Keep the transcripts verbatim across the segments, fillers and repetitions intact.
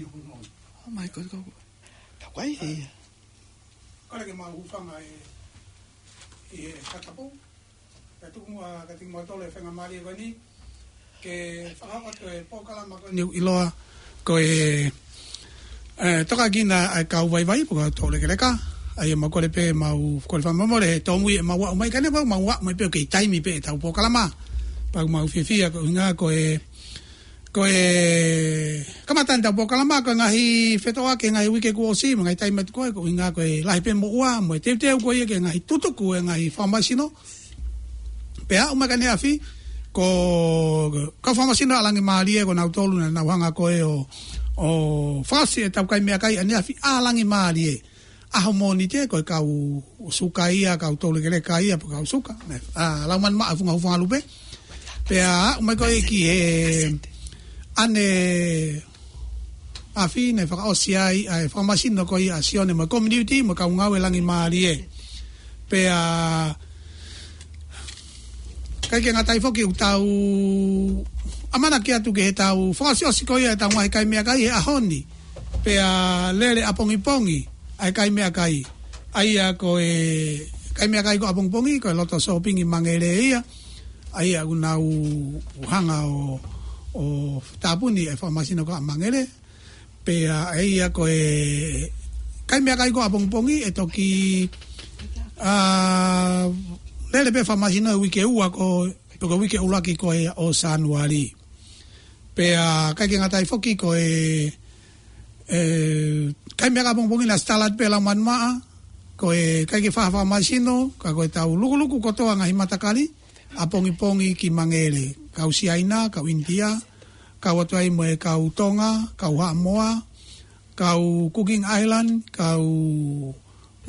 Oh my God, kau, kau kai ia. Kole ke mau hūfanga ʻi, ʻi he fakatapu. Pea tuku muʻa kiate kimoutolu e faingamālie ko eni ke fakahoko atu e polokalama ko eni ʻoku ʻiloa ko e, e, Tokakina ʻa e Kau Vaivai, pe ko e Toulekeleka. ʻA ia mau kole pē, mau kole fakamolemole he tōmui ʻemau aʻu mai, ka ne mau, mau aʻu mai pē ʻo kei taimi pē ʻetau polokalama. Pea ʻoku mau fiefia koeʻuhinga ko e, ko e kamata ʻetau polokalama, ko e ngaahi fetōʻaki he ngaahi uike kuo ʻosi, mo e ngaahi taimi atu ko ē, koeʻuhinga ko e lahi pē moʻua mo e teuteu ko ia ki he ngaahi tutuku e ngaahi fakamālohisino. Pea aʻu mai ki he ʻaneafi, ko e kau fakamālohisino ʻa Langimālie, ko nautolu naʻa nau hanga ko ē ʻo, ʻo fakaʻosi ʻetau kai meʻakai ʻaneafi ʻa Langimālie. ʻAho Mōnite ko e kau suka ia, kau Toulekeleka ia, pe ko e kau suka. Naʻe, ʻa, Laumanu Maʻa, Funga Hūfangalupe. Pea aʻu mai ko ē ki he ʻaneafi naʻe fakaʻosi ai ʻa e fakamālohisino ko ia ʻa Sione mo e community mo e kau ngāue Langimālie. Pea ʻikai ke ngata ai foki, ʻoku tau ʻamanaki atu ki heʻetau fakaʻosiʻosi ko ia ʻetau ngaahi kai meʻakai he ʻaho ni. Pea lele ʻapongipongi ʻa e kai meʻakai. ʻA ia ko e kai meʻakai ko ʻapongipongi, ko e loto sōpingi Mangele ia. ʻA ia ʻoku nau hanga ʻo, ʻo tāpuni e fakamālohisino ko ia ʻa Mangele. Pea ʻa ia ko e kai meʻakai ko ʻapongipongi ʻe toki, ʻa, lele pē fakamālohisino he uike ua ko, pe ko e uike ʻuluaki ko ē ʻo Sānuali. Pea ʻikai ke ngata ai foki ko e, e, kai meʻakai ʻapongipongi naʻe start pē ʻe Laumanu Maʻa, ko e ʻikai ke fai ha fakamālohisino, ka ko ʻetau lukuluku kotoa ngaahi matakali ʻapongipongi ki Mangele, kau Siaina, kau ʻInitia, kau atu ai mo e kau Tonga, kau Haʻamoa, kau Cooking Island, kau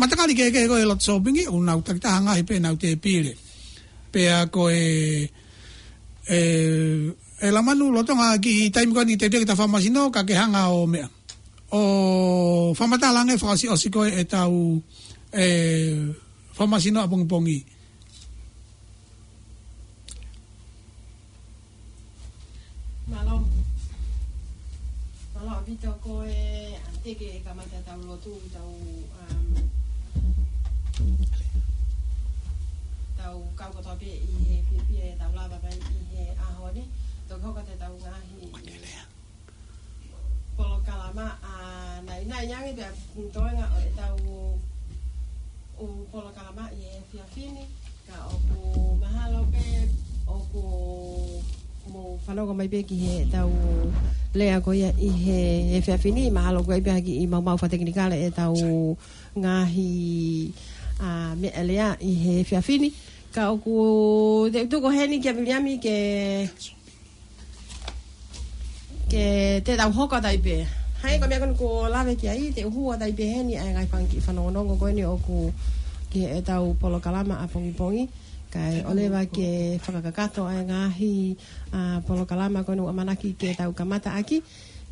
matakali kehekehe ko ē he loto sōpingi, ʻoku nau takitaha ngaahi pē ʻenau tēpile. Pea ko e, e, e Laumanu, lolotonga e kiʻi taimi ko eni teuteu ke ta fakamālohisino, ka ke hanga ʻo meʻa, ʻo fakamatala ange fakaʻosiʻosi ko ē ʻetau, e, fakamālohisino ʻapongipongi. Mālō. Mālō ʻaupito. Ko e, ʻa, teʻeki ke kamata ʻetau lotu, tau, um, tau kau kotoa pē ʻi he fiefia ʻetau lava mai ʻi he ʻaho ni. Toki hoko atu ʻetau ngaahi polokalama, ʻa, naʻinaʻi ange pea toenga ʻo ʻetau ʻū polokalama ʻi he efiafi ni, ka ʻoku mahalo pē ʻoku mou fanongo mai pē ki heʻetau lea ko ia ʻi he efiafi ni, mahalo ʻoku ʻi ai pē ha kiʻi maumau fakatekinikale ʻetau ngaahi, ʻa, meʻalea ʻi he efiafi ni. Ka ʻoku te u tuku heni kia Viliami ke ke te tau hoko atu ai pē. Hangē ko e meʻa ko eni kuo lave ki ai, te u hū atu ai pē heni ʻa e ngaahi fanga kiʻi fanongonongo ko eni ʻoku ki heʻetau polokalama ʻapongipongi. Kae ʻoleva ke fakakakato ʻa e ngaahi, ʻa, polokalama ko eni ʻoku ʻamanaki ke tau kamata ʻaki.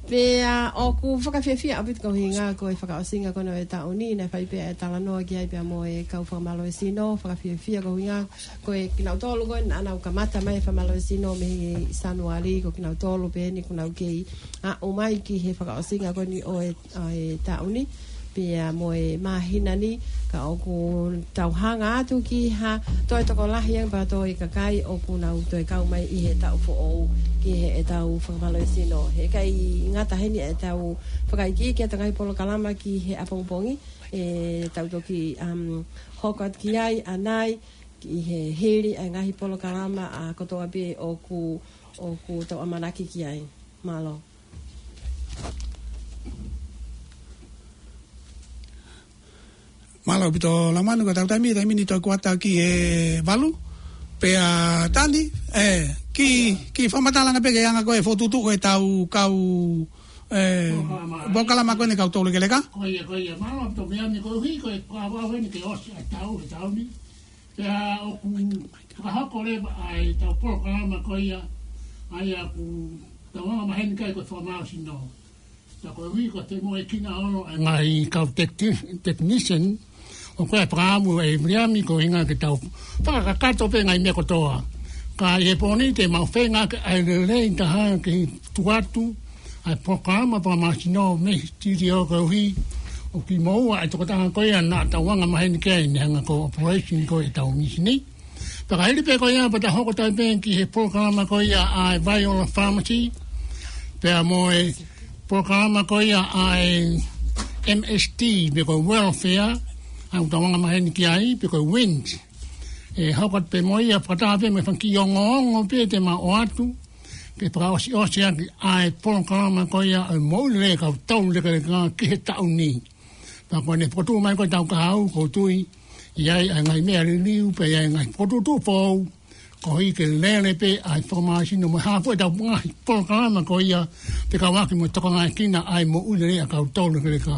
Pea ʻoku fakafiefia ʻaupito koeʻuhinga ko e fakaʻosinga ko eni ʻo e taʻu ni, naʻe fai pē ʻa e talanoa ki ai pea mo e kau fakamālohisino, fakafiefia koeʻuhinga ko kinautolu ko ē naʻa nau kamata mai e fakamālohisino mei Sānuali, ko kinautolu pē eni kuo nau kei aʻu mai ki he fakaʻosinga ko eni ʻo e, ʻo e taʻu ni, pea mo e māhina ni, ka ʻoku tau hanga atu ki ha toe tokolahi ange pea toe kakai ʻoku nau toe kau mai ʻi he taʻu foʻou ki heʻetau fakamālohisino. He ʻikai ngata heni ʻetau fakaikiiki ʻetau ngaahi polokalama ki he ʻapongipongi, ʻe tau toki, um, hoko atu ki ai ʻanai, ʻi he hili ʻa e ngaahi polokalama ʻa kotoa pē ʻoku, ʻoku tau ʻamanaki ki ai. Mālō. Mālō ʻaupito Laumanu, ko ʻetau taimi, taimi ni toe kuata ki he valu. Pea Tani, e, kiʻi, kiʻi fakamatala ange pē ki he anga ko ē e fokotuʻutuʻu ʻetau kau, e, polokalama ko eni kau Toulekeleka. Ko ia, ko ia, mālō ʻaupito Viliami, koeʻuhi ko e kuo ʻosi ʻa e taʻu, ʻa e taʻu ni. Pea ʻoku fakahoko leva ʻa ʻetau polokalama ko ia, ʻa ia ʻoku tau anga maheni ki ai ko e fakamālohisino. Pea koeʻuhi ko e femoʻuekina ʻo e ngaahi kau teki-, technician, ʻoku ʻi ai e fakaʻamu ʻa Viliami koeʻuhinga ke tau fakakakato pē ngaahi meʻa kotoa. Ka ʻi he pō ni te mau feinga ke ʻai lelei taha ke tuku atu ʻa e polokalama fakamasino mei he sitiō koeʻuhi ʻoku kimoua ʻa e tokotaha ko ia naʻa tau anga maheni ki ai ne hanga ko e operation ko e tau misini. Pea ka hili pē ko ia pea ta hoko atu pē ki he polokalama ko ia ʻa e Viola Pharmacy, pea mo e polokalama ko ia ʻa e M S T, pe ko e welfare, ʻa ia ʻoku tau anga maheni ki ai, pe ko e WINZ. ʻE hoko atu pē mo ia fakataha pē mo e fanga kiʻi ongoongo pē te mau ʻoatu, ke fakaʻosiʻosi ʻaki ʻa e polokalama ko ia ʻa e moʻui lelei ʻa e kau tolu lekeleka ki he taʻu ni. Pea ko ʻene fokotuʻu mai ko e tau kahaʻu, ʻoku ou tui ʻe ʻi ai ʻa e ngaahi meʻa liliu, pea ʻe ʻi ai e ngaahi fokotuʻutuʻu foʻou, koeʻuhi ke lele pē ʻa e fakamasino mo e hā fua ʻetau ngaahi polokalama ko ia, fekauʻaki mo e tokangaekina ʻa e moʻui lelei ʻa e kau tolu lekeleka.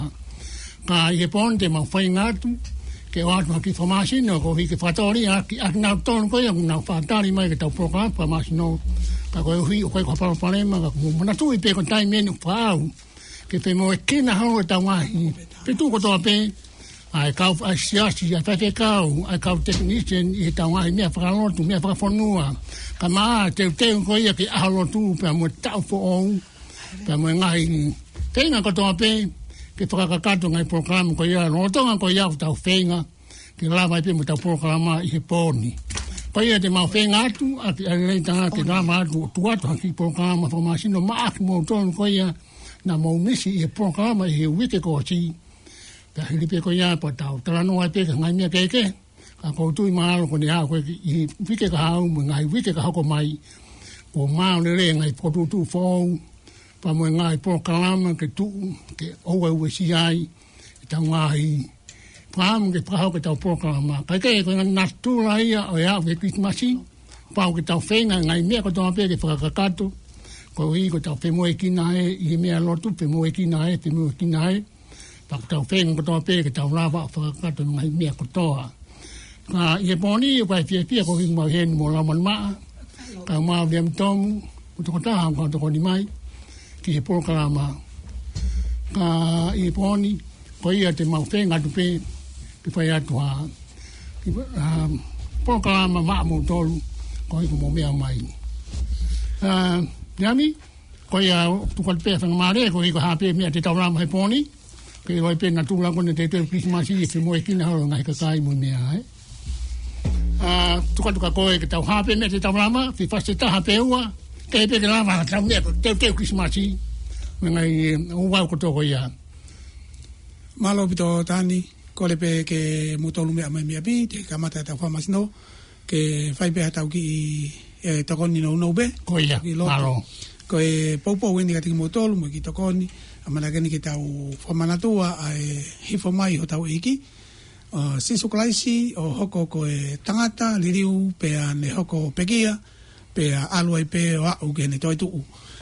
Ka ʻi he pō ni te mau feinga atu ke ʻoatu ha kiʻi fakamasino koeʻuhi ke fakatōliʻa ʻaki ʻa kinautolu ko ia ʻoku nau fakatali mai ki heʻetau polokalama fakamasino. Ka koeʻuhi ʻoku ʻikai ko ha palopalema, ka ʻoku mou manatuʻi pē ko e taimi eni ʻoku faʻa aʻu ke femoʻuekina holo ʻetau ngaahi feituʻu kotoa pē, ʻa e kau, ʻa e siasi, ʻa e faifekau, ʻa e kau technician ʻi heʻetau ngaahi meʻa fakalotu, meʻa fakafonua, kae ʻumaʻā e teuteu ko ia ki he ʻaho lotu pea mo e taʻu foʻou, pea mo e ngaahi feinga kotoa pē ke fakakakato e ngaahi polokalama ko ia, lolotonga ko ia ʻoku tau feinga ke lava ai pē mo ʻetau polokalama ʻi he pō ni. Ko ia te mau feinga atu ʻaki ʻa e lelei taha ke lava atu ʻo tuku atu ha kiʻi polokalama fakamasino maʻa kimoutolu ko ia naʻa mou misi ʻi he polokalama ʻi he uike kuo ʻosi. Pea hili pē ko ia pea tau talanoa pē ki he ngaahi meʻa kehekehe. Ka ʻoku ou tui mahalo ko ʻene aʻu ko ē ki he uike kahaʻu mo e ngaahi uike ka hoko mai, kuo maau lelei e ngaahi fokotuʻutuʻu foʻou, pea mo e ngaahi polokalama ke tuʻu, ke ʻoua ʻe uesia ai ʻetau ngaahi fakaʻamu ke fakahoko ʻetau polokalama. Kae kehe, ko e ngaahi natula ia ʻo e aʻu ki he Kilisimasi, pau ke tau feinga e ngaahi meʻa kotoa pē ke fakakakato, koeʻuhi ko ʻetau femoʻuekina ē ʻi he meʻa lotu, femoʻuekina ē, femoʻuekina ē, pea ko ʻetau feinga kotoa pē ke tau lava ʻo fakakakato e ngaahi meʻa kotoa. Ka ʻi he pō ni, ʻoku ou fiefia koeʻuhi ʻoku mau ʻi heni mo Laumanimaʻa, kae ʻumaʻā Viliami Tomu, mo e tokotaha ʻoku tokoni mai ki he polokalama. Ka ʻi he pō ni, ko ia te mau feinga atu pē ke fai atu ha, ha polokalama maʻa moutolu, koeʻuhi ko hoʻomou meʻa mai. ʻA, Viliami, ko ia ʻoku tuku atu pē ha faingamālie, koeʻuhi ko e hā pē meʻa te tau lava he pō ni, ke ʻilo ai pē e natula ko eni ʻo e teuteu Kilisimasi, ʻe femoʻuekina holo e ngaahi kakai mo e meʻa, ē. ʻA, tuku atu kia koe ke tau hā pē meʻa te tau lava, fifasi ʻe taha pe ua, ke pē ke lava ʻetau meʻa ko e teuteu Kilisimasi, mo e ngaahi, ē, ouau kotoa ko ia. Mālō ʻaupito Tani, kole pē ke mou tolu meʻa mai mei ʻapi, te kamata ʻetau fakamasino, ke fai pē haʻatau kiʻi, ē, tokoni nounou pē. Ko ia, kiʻi lotu. Mālō. Ko e poupou eni kiate kimoutolu, mo e kiʻi tokoni, ʻamanaki eni ke tau fakamanatua ʻa e hifo mai hotau ʻEiki, ʻo Sīsū Kalaisi, ʻo hoko ko e tangata liliu pea ne hoko pekia, pea ʻalu ai pē ʻo aʻu ki heʻene toetuʻu.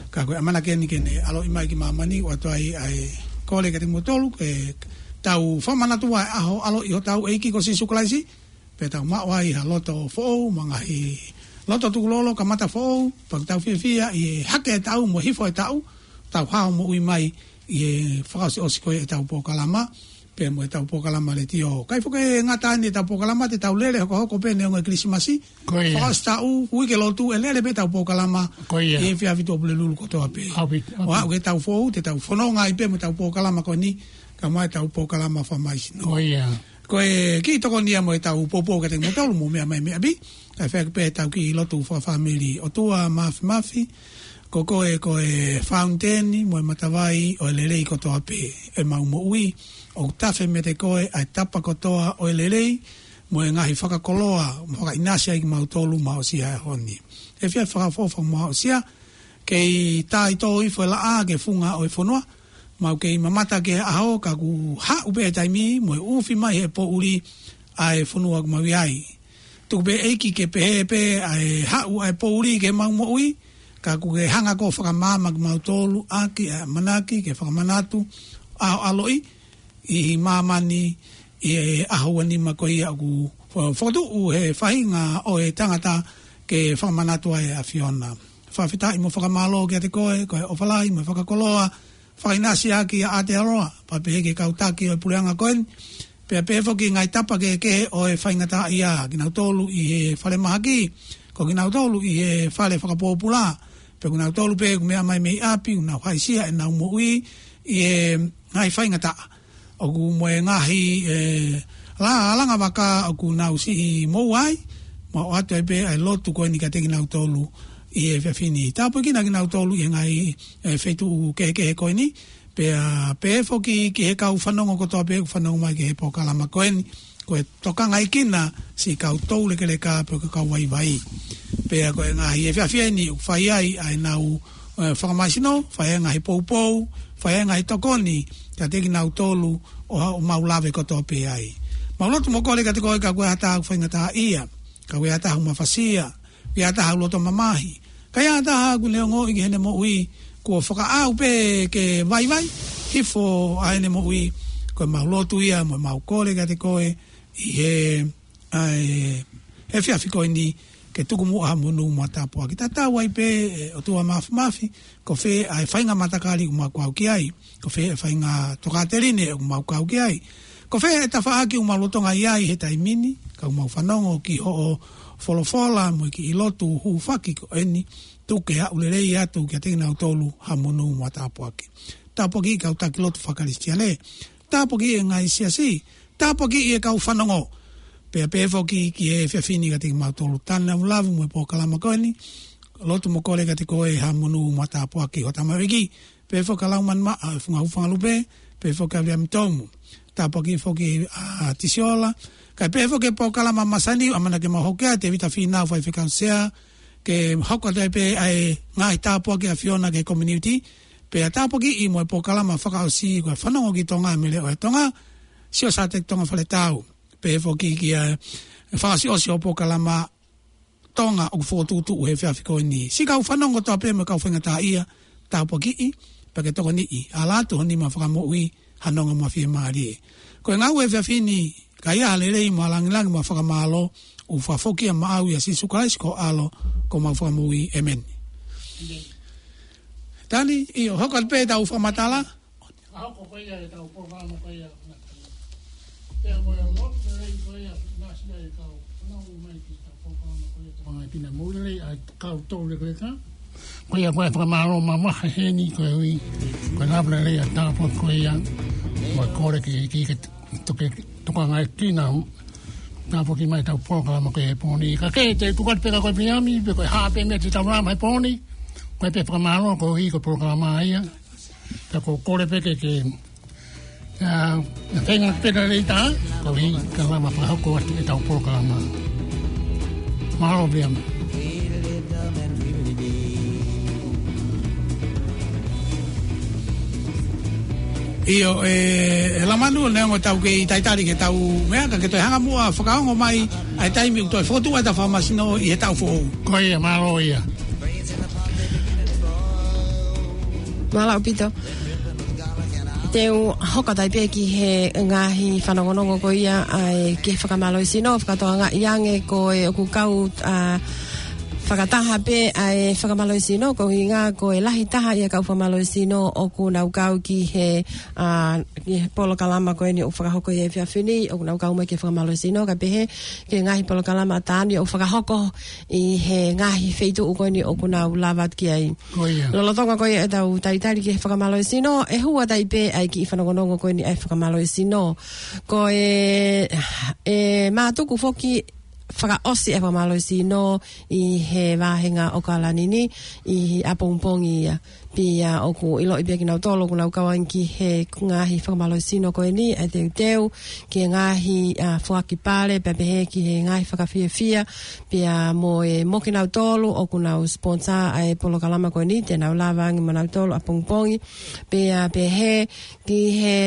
Ka ko e ʻamanaki eni ke ne ʻaloʻi mai ki māmani, ʻoatu ai ʻa e kole kiate kimoutolu, ke tau fakamanatua e ʻaho ʻaloʻi hotau ʻEiki ko Sīsū Kalaisi, pea tau maʻu ai ha loto foʻou, mo e ngaahi loto tukulolo, kamata foʻou, pea tau fiefia ʻi he hake e taʻu mo e hifo e taʻu, tau hao moʻui mai ʻi he fakaʻosiʻosi ko ē ʻetau polokalama, pea mo ʻetau polokalama letiō. ʻIkai foki ke ngata eni ʻetau polokalama, te tau lele hokohoko pē neongo e Kilisimasi. Ko ia. Fakaʻosi taʻu, uike lotu, ʻe lele pē ʻetau polokalama. Ko ia. ʻI he efiafi Tuʻapulelulu kotoa pē. ʻAupito, ʻaupito. ʻO aʻu ki heʻetau foʻou, te tau fononga ai pē mo ʻetau polokalama ko eni, kae ʻumaʻā ʻetau polokalama fakamasino. Ko ia. Ko e kiʻi tokoni ia mo ʻetau poupou kiate kimoutolu mou meʻa mai mei ʻapi, kae fai pē ʻetau kiʻi lotu fakafāmili. ʻOtua Māfimafi, ko koe ko e fountain mo e matavai ʻo e lelei kotoa pē ʻemau moʻui, ʻoku tafe meiate koe ʻa e tapa kotoa ʻo e lelei, mo e ngaahi fakakoloa, mo fakaʻinasi ai kimautolu maʻosia he ʻaho ni. Efiafi Fakaʻofoʻofa maʻosia, kei tā ʻi tō ifo e laʻā ki he funga ʻo e fonua, mau kei mamata ki he ʻaho, ka kuo haʻu pē e taimi, mo e ʻufi mai he poʻuli ʻa e fonua ʻoku mau ʻi ai. Tuku pē ʻEiki ke pehē pē ʻa e haʻu ʻa e poʻuli ki heʻemau moʻui, ka kuo ke hanga koe ʻo fakamaama kimautolu ʻaki ʻa e ʻamanaki ke fakamanatu ʻa hoʻo ʻaloʻi ʻi māmani ʻi he ʻaho ua nima ko ia ʻoku fo-, fokotuʻu he faʻahinga ʻo e tangata ke fakamanatu ai ʻa e ʻAfiona. Fakafetaʻi mo fakamālō kiate koe, ko e ʻofa lahi mo e fakakoloa, fakaʻinasi ʻaki ʻa Aotearoa, pea pehē ki he kau taki ʻo e puleʻanga ko eni, pea pehē foki ki he ngaahi tapa kehekehe ʻo e faingataʻaʻia, kinautolu ʻi he falemahaki, ko kinautolu ʻi he fale fakapōpula, Pea ko kinautolu pē ʻoku meʻa mai mei ʻapi, ʻoku nau haʻisia ʻenau moʻui ʻi he ngaahi faingataʻa. ʻOku mo e ngaahi, e, la-, langa vaka ʻoku nau siʻi moʻua ai, mo ʻoatu ai pē ʻa e lotu ko eni kiate kinautolu ʻi he efiafi ni. Tāpuekina kinautolu ʻi he ngaahi, e, feituʻu kehekehe ko eni, pea pehē foki ki he kau fanongo kotoa pē ʻoku fanongo mai ki he polokalama ko eni, ko e tokangaʻi kinautolu siʻi kau toulekeleka pe ko e kau vaivai. Pea ko e ngaahi efiafi eni ʻoku fai ai ʻa ʻenau, e, fakamālohisino, fai ai ngaahi poupou, fai ai ngaahi tokoni kiate kinautolu ʻo, ʻoku mau lave kotoa pē ai. Mau lotu mo kole kiate koe ka ko e hata ʻoku faingataʻaʻia, ka ko e hata ʻoku mafasia, ʻi ai ha taha ʻoku loto mamahi, ka ʻi ai ha taha ʻoku ne ongoʻi ki heʻene moʻui kuo fakaʻau pē ke vaivai hifo ʻa ʻene moʻui, ko ʻemau lotu ia mo ʻemau kole kiate koe ʻi he, ʻa e, he efiafi ko eni ke tuku muʻa ha monū mo ha tāpuaki. Tatau ai pē, e, ʻOtua Māfimafi, ko fē ʻa e faʻahinga matakali ʻoku mau kau ki ai, ko fē ʻa e faʻahinga tokāteline ʻoku mau kau ki ai, ko fē ʻa e tafaʻaki ʻoku mau lolotonga ʻi ai he taimi ni, ka ʻoku mau fanongo ki hoʻo folofola mo e kiʻi lotu hūfaki ko eni, tuku ke aʻu lelei atu kiate kinautolu ha monū mo ha tāpuaki. Tāpuakiʻi kau taki lotu fakakalisitiane, tāpuakiʻi e ngaahi siasi, tāpuakiʻi e kau fanongo. Pea pehē foki ki he efiafi ni kiate kimautolu, tanau lave mo e polokalama ko eni, lotu mo kole kiate koe ha monū mo ha tāpuaki ʻo e tamaioʻeiki, pehē foki kia Laumanimaʻa, e Funga Hūfangalupe, pehē foki kia Viliami Tomu. Tāpuakiʻi foki ʻa Tisiola, kae pehē foki e polokalama masani, ʻamanaki ke mau hoko atu, Tēvita Fīnau, Faifekau Sea, ke hoko atu ai pē ʻa e ngaahi tāpuaki ʻa e ʻAfiona ki he community, pea tāpuakiʻi mo e polokalama fakaʻosi ko e Fanongo ki Tonga mei he Leʻo ʻo Tonga, Sio Sateki Tonga Faletau, pehē foki ki he fakaʻosiʻosi ʻo e polokalama Tonga ʻoku Fokotuʻutuʻu he efiafi ko eni. Siʻi kau fanongo kotoa pē mo e kau faingataʻaʻia, tāpuakiʻi, pea ke tokoniʻi, ala atu ho nima fakamoʻui ha nonga mo ha fiemālie. Ko e ngāue he efiafi ni, ka ʻi ai ha lelei mo ha lāngilangi mo ha fakamālō, ʻoku fakafoki ia maʻau ʻia Sīsū Kalaisi ko ho ʻAlo, ko homau Fakamoʻui. ʻĒmeni. Tani, ʻio, hoko atu pē ʻetau fakamatala. Ka hoko ko ia ʻetau polokalama ko ia. Pea mo e lotu lelei ko ia, naʻa siʻi kau fanongo mai ki heʻetau polokalama ko ia. Tau anga pina mo lelei ʻa e kau toulekeleka. Ko ia ko e fakamālō mamafa heni koeʻuhi ko e lava lelei ʻa e tāpuaki ko ia. Mo e kole ki he ʻEiki ke toke, tokangaʻi kinautolu. Tāpuakiʻi mai ʻetau polokalama ko ia he pō ni. Ka ke te tuku atu pē kia koe Viliami, pe ko e hā pē meʻa te tau lava he pō ni. Ko e pē fakamālō koeʻuhi ko e polokalama ia. Ka ko e kole pē ke, ke, ʻa, na fenga pē na lei tā, koeʻuhi ka lava fakahoko atu ʻetau polokalama. Mālō Viliami. ʻIo, e, e Lamanu, neongo ʻetau kei talitali ki heʻetau meʻa, ka ke toe hanga muʻa ʻo fakaongo mai ʻa e taimi ʻoku toe fokotuʻu ai ʻetau fakamasino ʻi he taʻu foʻou. Ko ia, mālō ia. Mālō ʻaupito. Te u hoko atu ai pē ki he ngaahi fanongonongo ko ia ʻa e ki he fakamālohisino, fakatokangaʻi ange ko e ʻoku kau, ʻa, fakataha pē ʻa e fakamālohisino, ko e ʻuhinga ko e lahi taha ʻi he kau fakamālohisino ʻoku nau kau ki he, ʻa, ki he polokalama ko eni ʻoku fakahoko ʻi he efiafi ni, ʻoku nau kau mai ki he fakamālohisino, kae pehē ki he ngaahi polokalama ʻa Tani ʻoku fakahoko ʻi he ngaahi feituʻu ko eni ʻoku nau lava atu ki ai. Ko ia. Lolotonga ko ia ʻetau talitali ki he fakamālohisino, ʻe hū atu ai pē ʻa e kiʻi fanongonongo ko eni ʻa e fakamālohisino. Ko e, ʻe mātuku foki fakaʻosi e fakamālohisino ʻi he vāhenga ʻo ʻAokalani ni, ʻi he ʻapongipongi ia. Pea ʻoku ʻiloʻi pē ʻe kinautolu ʻoku nau kau ange ki he ngaahi fakamālohisino ko eni, ʻa e teuteu ki he ngaahi, ʻa, foaki pale, pea pehē ki he ngaahi fakafiefia, pea mo e, mo kinautolu ʻoku nau sponsor ʻa e polokalama ko eni, te nau lava ange mo nautolu ʻapongipongi, pea pehē ki he,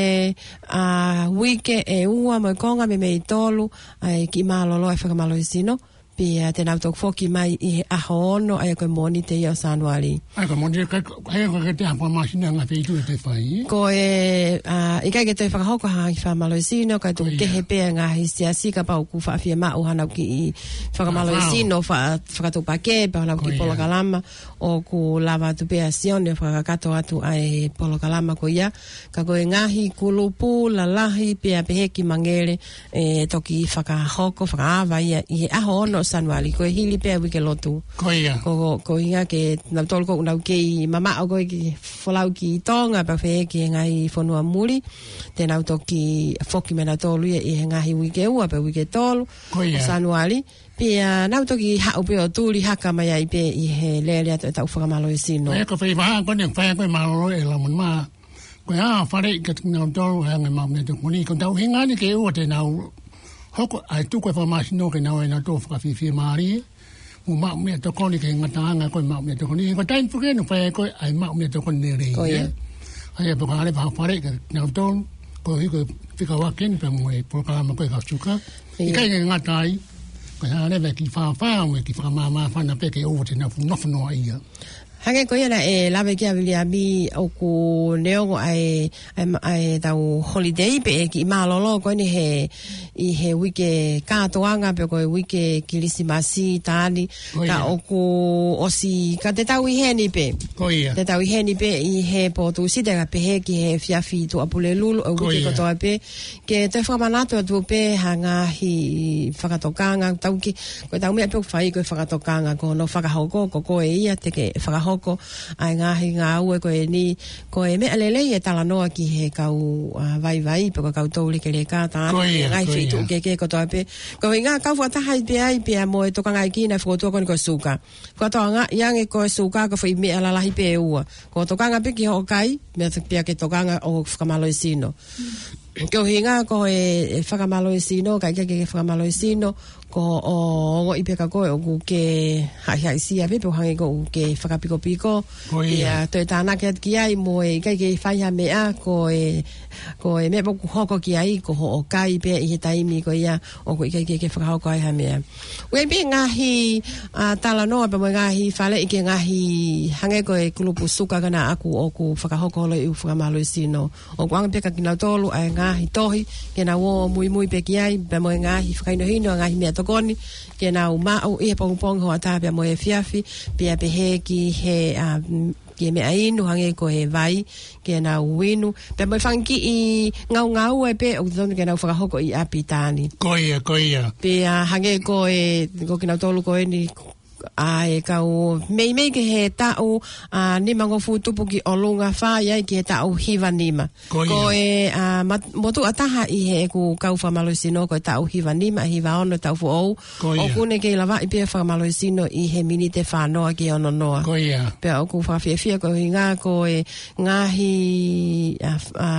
ʻa, uike ʻe ua mo e konga meimei tolu ʻa e kiʻi mālōlō ʻa e fakamālohisino, pea te nau toki foki mai ʻi he ʻaho ono, ʻa ia ko e Mōnite ia ʻo Sānuali. ʻA ia ko e Mōnite, ka, ʻa ia ko e ke te hapa masina ngaahi feituʻu ʻe te fai, ē? Ko e, ʻa, ʻikai ke toe fakahoko ha ngaahi fakamālohisino, ka tuku kehe pē ʻa e ngaahi siasi kapau ʻoku faʻa fiemaʻu haʻanau kiʻi fakamālohisino, fa-, fakatupakē, pe haʻanau kiʻi polokalama, ʻoku lava atu pē ʻa Sione ʻo fakakakato atu ʻa e polokalama ko ia. Ka ko e ngaahi kulupu lalahi pea pehē ki Mangele, ʻe toki fakahoko, fakaava ia ʻi he ʻaho ono ʻo Sānuali, ko e hili pē ʻa e uike lotu. Ko ia. Ko, ko, ko e ʻuhinga ke nau tolu ko ʻenau kei mamaʻo ko ē ki he folau ki Tonga, pea fēfē ki he ngaahi fonua muli, te nau toki foki mai nautolu ia ʻi he ngaahi uike ua pe uike tolu, Ko ia. ʻo Sānuali. Pea nau toki haʻu pē ʻo tuli haka mai ai pē ʻi he lele atu ʻetau fakamālohisino. Ko e fai vaha ko eni, fai ko e mālōlō e lamon mā. Ko e ʻā fale i ka tiki nau tolu, he anga e maʻu meʻatokoni. Ko ʻetau ʻuhinga ni ke ʻoua te nau hoko ai tuku e fakamālohisino ke nau ʻai nautolu fakafiefia mālie. Mo maʻu meʻatokoni ke ngataʻanga ko e maʻu meʻatokoni. Ko e taimi puke no fai ko e ʻai maʻu meʻatokoni lelei, Ko ia. ē? ʻAi e pokale vaha fale i ka tiki nau tolu, ko e hiko fika wakin pea mo e polokalama ko e kau suka. Ia. ʻIkai ke ngata ai, ko e hā leva e kiʻi fāfā mo e kiʻi fakamāmāfana pē ke ʻoua te nau funofunoa ia. Hangē ko ia naʻe lave ki ai ʻa Viliami ʻoku neongo ʻa e, ʻa e, ʻa ʻetau holiday pe ʻe kiʻi mālōlō ko eni he, ʻi he uike kātoanga pe ko e uike Kilisimasi, Taani, Ko ka ia. ʻoku ʻosi, ka te tau ʻi heni pē. Ko ia. Te tau ʻi heni pē ʻi he pō Tūsite ka pehē ki he efiafi Tuʻapulelulu, ʻo e Ko uike ia. kotoa pē. Ke toe fakamanatu atu pē ha ngaahi fakatokanga, tau ki, ko ʻetau meʻa pē ʻoku fai ko e fakatokanga, ko hono fakahoko, ko koe ia te ke fakahoko ʻa e ngaahi ngāue ko eni, ko e meʻa lelei e talanoa ki he kau, ʻa, vaivai, pe ko e kau toulekeleka, tā Ko ia, ngaahi ko feituʻu ia. kehekehe kotoa pē. Ko e ʻuhinga kau fakataha ai pē ai, pea mo e tokangaʻi kina e fokotuʻu ko eni ko e suka. Fakatokangaʻi ange ko e suka ko e foʻi meʻa lalahi pē ʻe ua. Ko e tokanga pē ki hoʻo kai, meʻa te pea ke tokanga ʻo fakamālohisino. Ko e ʻuhinga ko e, e fakamālohisino, ka ʻikai ke ke fakamālohisino, ko hoʻo ongoʻi pē ka ko e ʻoku ke haʻihaʻisia pē, pe ʻo hangē ko ʻoku ke fakapikopiko. Ko ia. Ia, toe tānaki atu ki ai mo e ʻikai ke fai ha meʻa, ko e, ko e meʻa pē ʻoku hoko ki ai, ko hoʻo kai pē ʻi he taimi ko ia, ʻoku ʻikai ke ke fakahoko ai ha meʻa. ʻOku ʻi ai pē ngaahi, ʻa, talanoa pea mo e ngaahi faleʻi ki he ngaahi hangē ko e kulupu suka ka naʻa ʻoku, ʻoku fakahoko holo e ʻū fakamālohisino. ʻOku ʻoange pē kia kinautolu ʻa e ngaahi tohi, ke nau ō muimui pē ki ai, pea mo e ngaahi fakahinohino, ngaahi meʻatokoni, ke nau maʻu ʻi he pongipongi, hoʻatā pea mo e efiafi, pea pehē ki he, ʻa, mm, ki he meʻa inu, hangē ko e vai, ke nau inu. Pea mo e fanga kiʻi ngaungaue pē ʻoku totonu ke nau fakahoko ʻi ʻapi, Taani. Ko ia, ko ia. Pea hangē ko e, ko kinautolu ko eni, ʻa e kau meimei ki he taʻu, ʻa, nimangofulu tupu ki ʻolunga, fai ai ki he taʻu hiva nima. Ko ia. Ko e, ʻa, mat-, motuʻa taha ʻi heʻeku kau fakamālohisino ko e taʻu hiva nima, hiva ono taʻu foʻou. Ko ia. ʻOku ne kei lavaʻi pē fakamālohisino ʻi he miniti ʻe fā noa ki he ono noa. Ko ia. Pea ʻoku fakafiefia ko e ʻuhinga ko e ngaahi, ʻa, ʻa,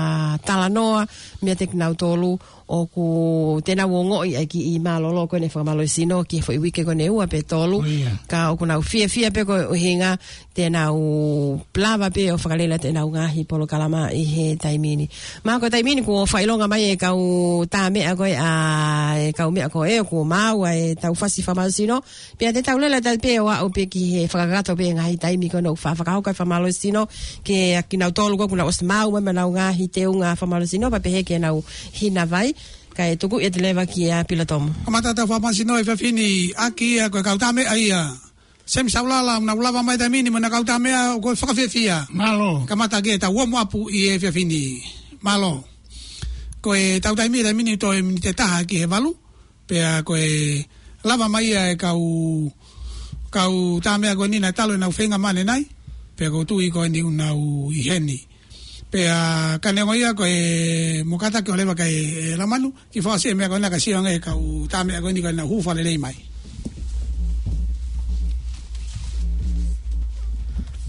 talanoa meiate kinautolu ʻoku te nau ongoʻi ai kiʻi mālōlō ko eni e fakamālohisino ki he foʻi uike ko eni ʻe ua pe tolu. Ko ia. Ka ʻoku nau fiefia pē ko e ʻuhinga te nau lava pē ʻo fakalele ʻenau ngaahi polokalama ʻi he taimi ni. Mahalo ko e taimi ni kuo fakaʻilonga mai e kau tā meʻa ko ē, ʻa, e kau meʻa ko ē, kuo maau ʻa ʻetau fasi fakamālohisino. Pea te tau lele atu pē ʻo aʻu pē ki he fakakakato pē ngaahi taimi ko ē ʻoku fa-, fakahoko e fakamālohisino, kia kinautolu ko ē kuo nau ʻosi maau mai mo ʻenau ngaahi teunga fakamālohisino, pea pehē ki heʻenau hina vai, kae tuku ʻe te leva kia Pilatomo. Kamata ʻetau fakamālohisino he efiafi ni, ʻaki ia ko e kau tā meʻa ia. Semi Saulala, ʻoku nau lava mai taimi ni mo ʻena kau tā meʻa, ʻoku fakafiefia. Mālō. Kamata ki heʻetau warm up ʻi he efiafi ni. Mālō. Ko ʻetau taimi, taimi ni toe miniti ʻe taha ki he valu. Pea ko e lava mai ia e kau, kau tā meʻa ko eni naʻe talu ʻenau feinga mane nai. Pea ʻoku ou tui ko eni ʻoku nau ʻi heni. Pea ka neongo ia ko e mokata ke ʻoua leva ke, ʻe, lamanu, kiʻi fakaʻosi e meʻa ko ena ka sio ange e kau tā meʻa ko eni ka nau hū fakalelei mai.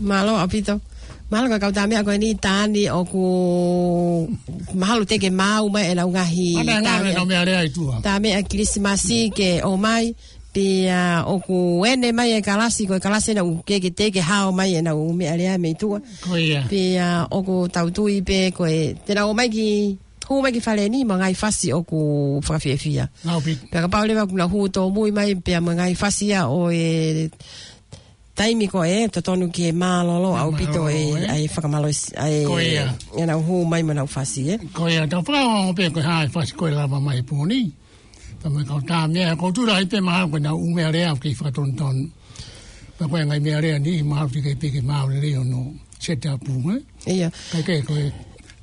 Mālō ʻaupito. Mālō ka kau tā meʻa ko eni, Taani, ʻoku mahalo te ke maau mai ʻenau ngaahi Ana tā ngā meʻa. Nau meʻa lea ʻi tuʻa. Tā meʻa Kilisimasi ke ō mai, pea ʻoku ʻene mai e kalasi, ko e kalasi ena ʻoku ke, ke te ke hao mai ʻenau meʻa lea mei tuʻa. Ko ia. Pea ʻoku tau tui pē ko e, te nau ō mai ki, hū mai ki fale ni mo e ngaahi fasi ʻoku fakafiefia. Ngau pi. Pea kapau leva kuo nau hū tōmui mai, pea mo e ngaahi fasi ia ʻo e taimi ko ē, totonu ke mālōlō ʻaupito e, Mālōlō, ē? ʻA e fakamālohi-, ʻa e, Ko ia. ʻenau hū mai mo ʻenau fasi, ē? Ko ia, tau fakaongo pē ko e hā e fasi ko ē lava mai pō ni. Pea mo e kau tā meʻa, ko e tuʻu lahi pē mahalo ko ʻenau ʻū meʻa lea ʻoku kei fakatonutonu. Pea ko e ngaahi meʻa lea ni, mahalo te ke piki mālōlō ʻo nau set up, ē? Ia. Kae kehe ko e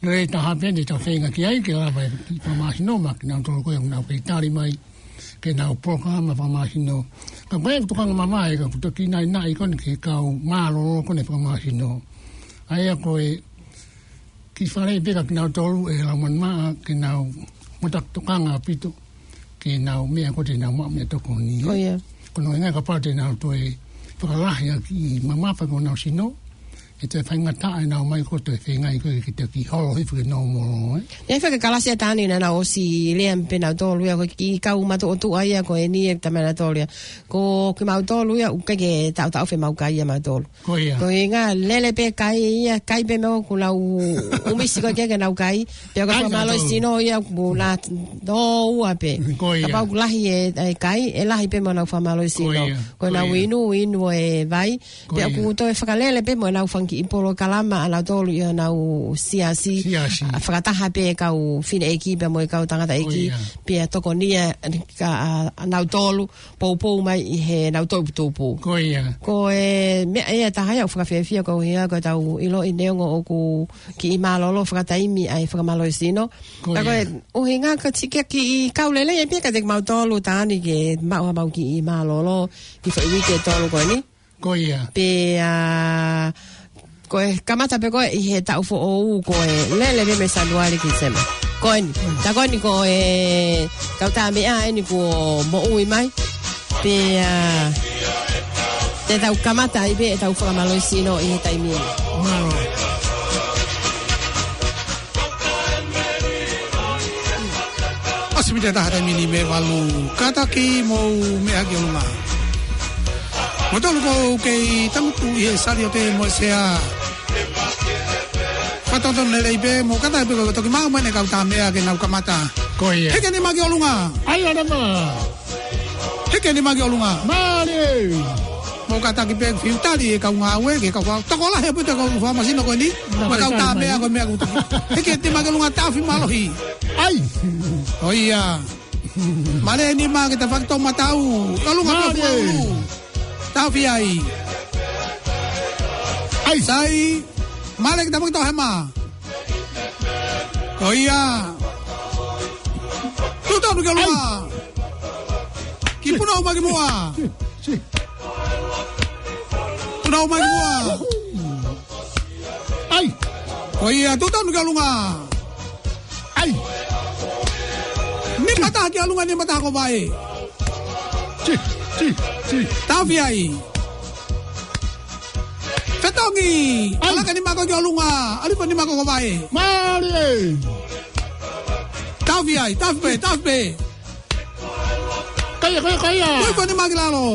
lelei taha pē eni ʻetau feinga ki ai, ke lava e fakamālohisino maʻa kinautolu ko ē ʻoku nau kei tali mai. ke nau polokalama fakamālohisino. Ka ko e tokanga mamae ka kuo toki naʻinaʻi ko eni ki he kau mālōlō ko eni fakamālohisino. ʻA ia ko e kiʻi fale pē ka kinautolu ʻe he Laumālie Maʻa ke nau mataku tokanga ʻaupito ke nau meʻa ko ē te nau maʻu meʻatokoni. Ko ia. Ko hono ʻuhinga kapau te nau toe fakalahi ʻa e kiʻi mamafa ko honau sino, ʻe toe faingataʻa ʻenau ō mai ko ē toe feinga ko ē ke toki holo hifo ki he nōmolo, ē. ʻE faka kalasi ʻa Tani naʻa nau ʻosi lea pē nautolu ia ko e kiʻi kau matuʻotuʻa ia ko eni ʻe tama nautolu ia. Ko kimautolu ia ʻoku ʻikai ke taʻotaʻofi ʻemau kai ia mautolu. Ko ia. Ko e ʻuhinga lele pē kai ia, kai pē mo ʻoku nau ʻumisi ko ē ke nau kai. Pea ko e fakamālohisino ia ʻoku na tō ua pē. Ko ia. Kapau ʻoku lahi e, e kai, ʻe lahi pē mo ʻenau fakamālohisino. Ko ia. Ko ʻenau inu, inu e vai. Pea ʻoku toe fakalele pē mo ʻenau fanga kiʻi polokalama ʻanautolu ʻi honau siasi. Siasi. ʻA, fakataha pē kau fineʻeiki pea mo e kau tangataʻeiki. Ko ia. Pea tokonia ka, ʻa, ʻanautolu poupou mai ʻi heʻenau toʻutupu. Ko ia. Ko e meʻa ia ʻe taha ia ʻoku fakafiefia ko e ʻuhinga ko ʻetau ʻiloʻi neongo ʻoku kiʻi mālōlō fakataimi ʻa e fakamālohisino. Ko ia. Ka ko e ʻuhinga ka tika kiʻi kau lelei ʻe pē ka te kimautolu Tani ke maʻu haʻamau kiʻi mālōlō ki he foʻi uike ʻe tolu ko eni. Ko ia. Pea, ko e kamata pē ko ē ʻi he taʻu foʻou ko e lele pē mei Sānuali ki Tīsema. Ko eni. Tā ko eni ko e kau tā meʻa eni kuo moʻui mai. Pea, te tau kamata ai pē ʻetau fakamālohisino ʻi he taimi ni. Mālō. ʻOsi miniti ʻe taha taimi ni mei he valu. Kātaki mou meʻa ki ʻolunga. Mou tolu ko ē kei tangutu ʻi he saliote mo e sea. Fakatotonu lelei pē, mou kātaki pē ko e toki maʻu mai ʻene kau tā meʻa ke nau kamata. Ko ia. Hiki ʻa e nima ki ʻolunga. ʻAi ʻa e nima. Hiki ʻa e nima ki ʻolunga. Mālie. Mou kātaki pē fiu tali e kau ngāue, ke kau kau. Tokolahi ʻaupito e kau fakamālohisino ko eni. Mo e kau tā meʻa ko e meʻa kuo toki. Hiki ʻa e nima ki ʻolunga, taʻofi mālohi. ʻAi. ʻO ia. Mālie e nima ke tafaʻaki toʻomataʻu. ʻOlunga. Mālie. Taʻofi ai. ʻAi. Sai. Mālie ke tafaʻaki toʻohema. Ko ia. Tuʻu tonu ki ʻolunga. ʻAi. Kiʻi punouʻi mai ki muʻa. Si, si. Punouʻi mai ki muʻa. ʻAi. Ko ia, tuʻu tonu ki ʻolunga. ʻAi. Nima taha ki ʻolunga, nima taha ko vaʻe. Si, si, si. Taʻofi ai. Fetongi. ʻAi. ʻAlaka e nima ko ē ki ʻolunga. ʻAlifa e nima ko ē ko vaʻe. Mālie. Taʻofi ai, taʻofi pē, taʻofi pē. Kai ia, kai ia, kai ia. Tuʻu hifo e nima ki lalo.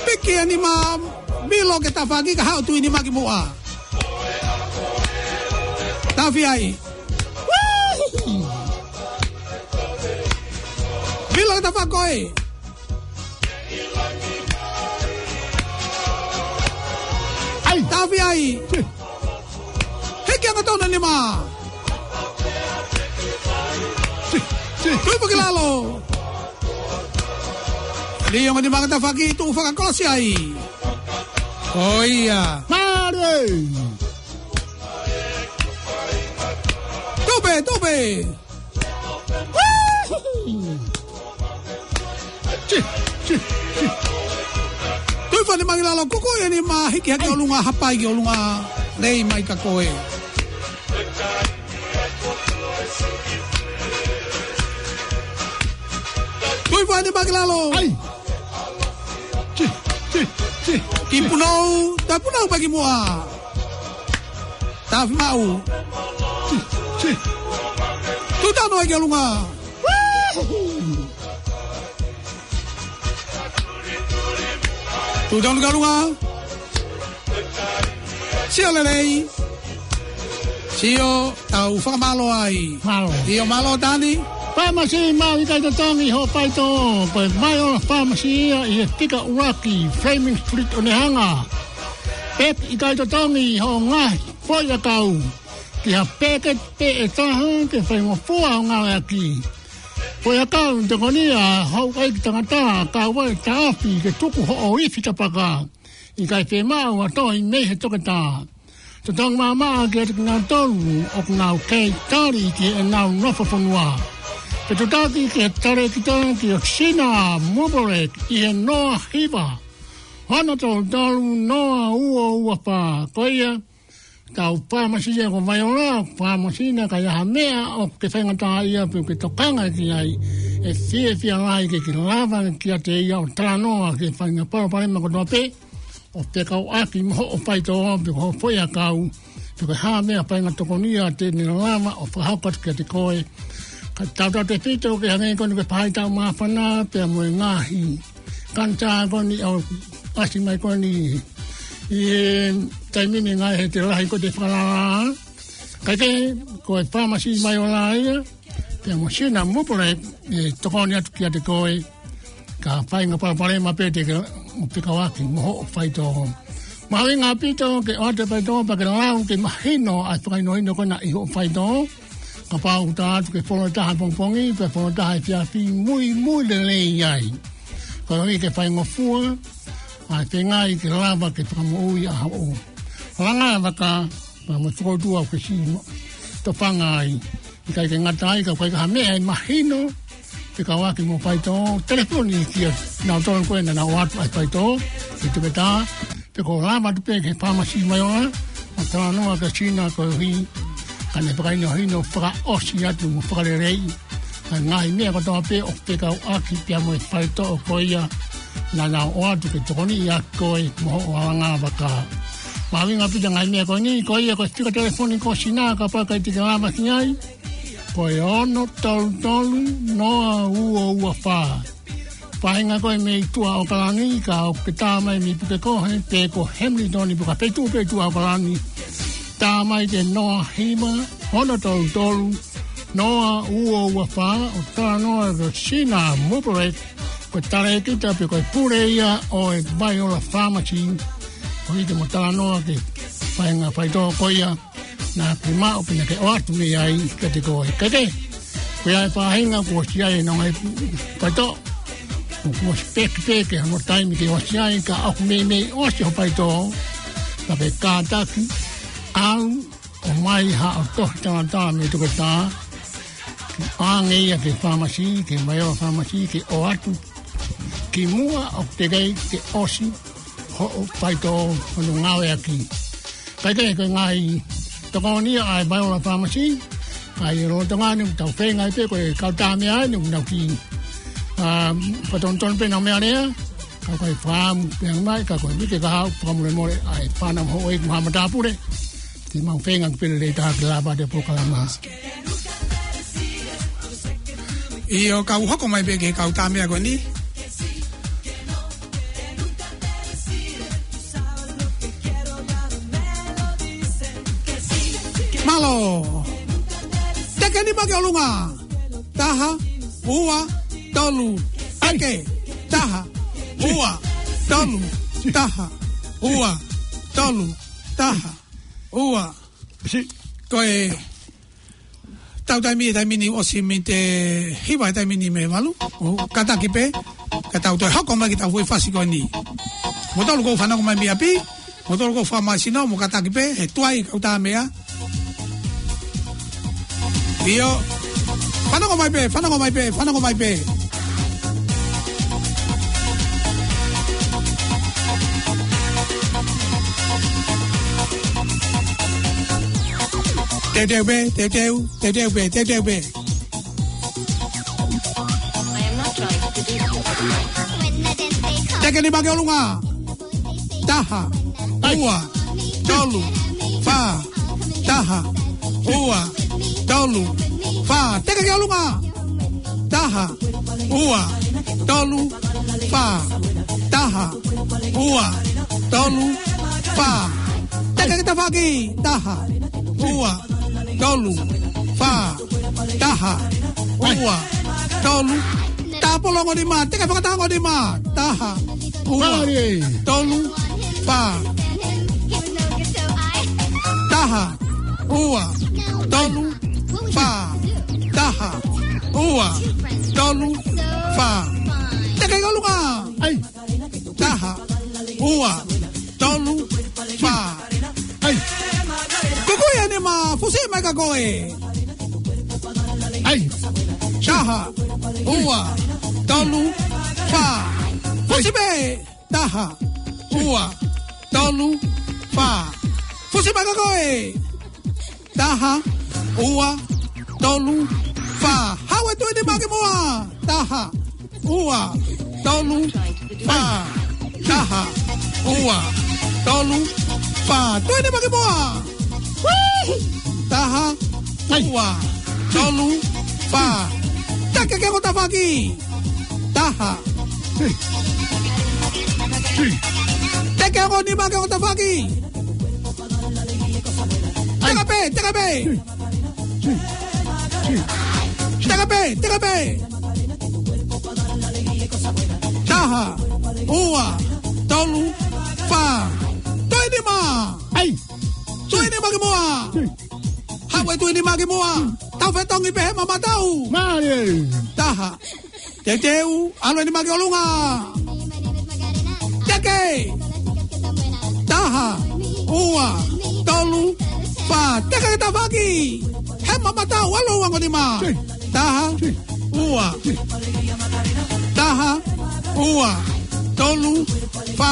Piki e nima, Milo ke tafaʻaki ka haʻu tuʻu e nima ki muʻa. Taʻofi ai. Milo ke tafaʻaki koe. ʻAi. Taʻofi ai. Si. Hiki angatonu e nima. Si, si. Tuʻu hifo ki lalo. Lī ongo e nima ke tafaʻaki, tuʻu fakakolosi ai. Ko ia. Mālie. Tupe, tupe. Si, si, si. Tuʻu hifo e nima ki lalo, kuku e nima, hiki hake ʻolunga, hapai ki ʻolunga, lei mai ka ko ē. Tuʻu hifo e nima ki lalo. ʻAi. Si, si, si. Kiʻi punou, tā punou pē ki muʻa. Taʻofi maʻu. Si, si. Tuʻu tonu ai ki ʻolunga. Tuʻu tonu ki ʻolunga. Sio lelei. Sio, tau fakamālō ai. Mālō. ʻIo, mālō Tani. Pāmasi maʻu ʻikai totongi hoʻo faitoʻo, ko e Maiola Pharmacy ia ʻi he fika ʻuluaki Fleming Street ʻo Onehunga. Pep ʻikai totongi hoʻo ngaahi foʻiʻakau ki ha peketi pē ʻe taha ke faingofua hoʻo ngāueʻaki. Foʻiʻakau, tokonia, houʻeiki tangata, kae ʻoua ʻe taʻofi ke tuku hoʻo ifi tapaka. ʻIkai fiemaʻu ha tohi mei he toketā. Totongi maʻamaʻa kiate kinautolu ʻoku nau kei tali ki heʻenau nofo fonua. Ke tutaki ki he talēkita ki he Sina Mubalek ʻi he noa hiva, ono tolu tolu, noa ua ua fā. Ko ia, tau fāmasi ia ko Vaiola, fāmasi naʻe ʻikai ha meʻa ʻoku ke faingataʻaʻia pe ʻoku ke tokanga ki ai, ʻe fiefia lahi ke ke lava kiate ia ʻo talanoa ki he faʻahinga palopalema kotoa pē, ʻo fekauʻaki mo hoʻo faitoʻo pe ko hoʻo foʻiʻakau, pe ko e hā ha meʻa faʻahinga tokonia te ne lava ʻo fakahoko atu kiate koe. Ka tautautefito ke hangē ko eni ko e faʻahitaʻu māfana pea mo e ngaahi kanisā ko eni ʻoku ʻasi mai ko eni ʻi he taimi ni, ngaahi ʻe lahi ko ē te fakalala. Kae kehe, ko e fāmasi Vaiola ia pea mo Sina Mubalek ʻe tokoni atu kiate koe ki ha faʻahinga palopalema pē te ke fekauʻaki mo hoʻo faitoʻo. Mahuʻinga ʻaupito ke ʻoatu e faitoʻo pea ke lau ke mahino ʻa e fakahinohino ko ena ʻi hoʻo faitoʻo. Kapau ʻoku tā atu ke folo ʻe taha pongipongi, pea folo ʻe taha efiafi, muimui lelei ai, koeʻuhi ke faingofua ʻa e feinga ke lava ke fakamoʻui ʻa hoʻo langa vaka pea mo e fokoutua ʻoku ke siʻi tofanga ai. ʻIkai ke ngata ai, ka ʻoku ʻikai ha meʻa ʻe mahino fekauʻaki mo e faitoʻo, telefoni kia nautolu ko ē naʻa nau ʻoatu ʻa e faitoʻo ki he toketā, pe ko e lava atu pē ki he fāmasi Vaiola ʻo talanoa kia Sina koeʻuhi ka ne fakahinohino fakaʻosi atu mo fakaleleiʻi ʻa e ngaahi meʻa kotoa pē ʻoku fekauʻaki pea mo e faitoʻo ko ia naʻa nau ʻoatu ke tokoniʻi ʻaki koe mo hoʻo langa vaka. Mahuʻinga ʻaupito e ngaahi meʻa ko eni, ko ia ko e fika telefoni ko Sina kapau ʻe ʻikai te ke lava ki ai, ko e ono tolu tolu, noa ua ua fā. Faʻahinga ko ē mei tuʻa ʻAokalani, ka ʻoku ke tā mai mei Pukekohe pe ko Hamilton pe ko ha feituʻu pē tuʻa ʻAokalani, tā mai ki he noa hiva, ono tolu tolu, noa ua ua fā, ʻo talanoa kia Sina Mubalek, ko e talēkita pe ko e pule ia ʻo e Vaiola Pharmacy, koeʻuhi ke mo talanoa ki he faʻahinga faitoʻo ko ia naʻa ke maʻu pe naʻa ke ʻoatu mei ai kiate koe. Kae kehe, ko e faʻahinga kuo ʻosi ʻi ai ʻenau ngaahi faitoʻo, kuo ʻosi pehē pē ki hono taimi ke ʻosi ai, ka ʻoku meimei ʻosi hoʻo faitoʻo, ka ke kātaki, ʻalu ʻo ʻomai haʻo tohi talatala mei he toketā, ʻoange ia ki he fāmasi, ki he Vaiola Pharmacy, ke ʻoatu kimuʻa ʻoku teʻeki ai ke ʻosi hoʻo faitoʻo hono ngāueʻaki. Kae kehe, ko e ngaahi tokoni ia ʻa e Vaiola Pharmacy, ʻa ia lolotonga ni ʻoku tau feinga ai pē, ko e kau tā meʻa ni ʻoku nau kiʻi, ā, fakatonutonu pē ʻenau meʻalea, ka ko e fakaʻamu pē mai, ka ko e uike kahaʻu fakamolemole ʻa e fānau mo houʻeiki mo haʻa matāpule, te mau feinga ke pele lei taha ke lava ʻa e polokalama. ʻIo, kau hoko mai pē ki he kau tā meʻa ko eni. Mālō. Teke nima ki ʻolunga. Taha, ua, tolu. Teke. Taha, ua, tolu. Taha, ua, tolu. Taha, ua. Ko e tau taimi, taimi ni ʻosi mei he hiva, taimi ni mei he valu. ʻO kātaki pē, ka tau toe hoko mai ki he tau foʻi fasi ko eni. Mou tolu ʻoku fanongo mai mei ʻapi, mou tolu ʻoku fakamāsino, mou kātaki pē, he tuai kau tā meʻa. ʻIo. Fanongo mai pē, fanongo mai pē, fanongo mai pē. Teuteu pē, teuteu, teuteu pē, teuteu pē. Teke nima ki ʻolunga. Taha, ua, tolu, fā. Taha, ua, tolu, fā. Teke ki ʻolunga. Taha, ua, tolu, fā. Taha, ua, tolu, fā. Teke ki tafaʻaki. Taha, ua, tolu, fā. Taha, ua, tolu. Tāpolo ongo nima, teke fakataha ongo nima. Taha, ua, tolu, fā. Taha, ua, tolu, fā. Taha, ua, tolu, fā. Teke ki ʻolunga. ʻAi. Taha, ua, tolu, fā. ʻAi. Kukuia nima, fusi mai ka koe. ʻAi. Taha, ua, tolu, fā. Fusi pē. Taha, ua, tolu, fā. Fusi mai ko ē. Taha, ua, tolu, fā. Haʻu e tuʻi nima ki muʻa. Taha, ua, tolu, fā. Taha, ua, tolu, fā. Tuʻi nima ki muʻa. Taha, ua, tolu, fā. Teke ki he ongo tafaʻaki. Taha. Teke ongo nima ki he ongo tafaʻaki. Teka pē, teka pē. Teka pē, teka pē. Taha, ua, tolu, fā. Tuʻi nima. Ai. Tuʻi nima ki muʻa. Haʻu e tuʻi nima ki muʻa. Tau fetongi pē he mamataʻu. Mālie. Taha. Teuteu, ʻalu e nima ki ʻolunga. Teke. Taha, ua, tolu, fā. Teke ki he tafaʻaki. He mamataʻu, ʻalu e ongo nima. Taha, ua. Taha, ua, tolu, fā.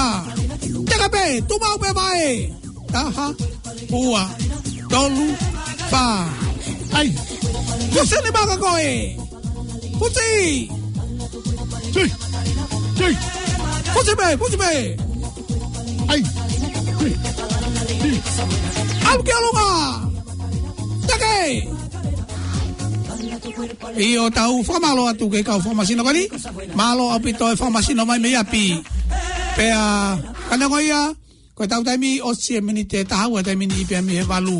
Teka pē, tuʻu maʻu pē vaʻe. Taha, ua, tolu, fā. Ai. Fusi nima kia koe. Fusi. Fusi pē, fusi pē. Ai. ʻAlu ki ʻolunga. Teke. ʻIo, tau fakamālō atu ki he kau fakamasino ko eni. Mālō ʻaupito e fakamasino mai mei ʻapi. Pea, ka neongo ia, ko ʻetau taimi ʻosi e miniti ʻe taha ua, taimi ni pē mei he valu.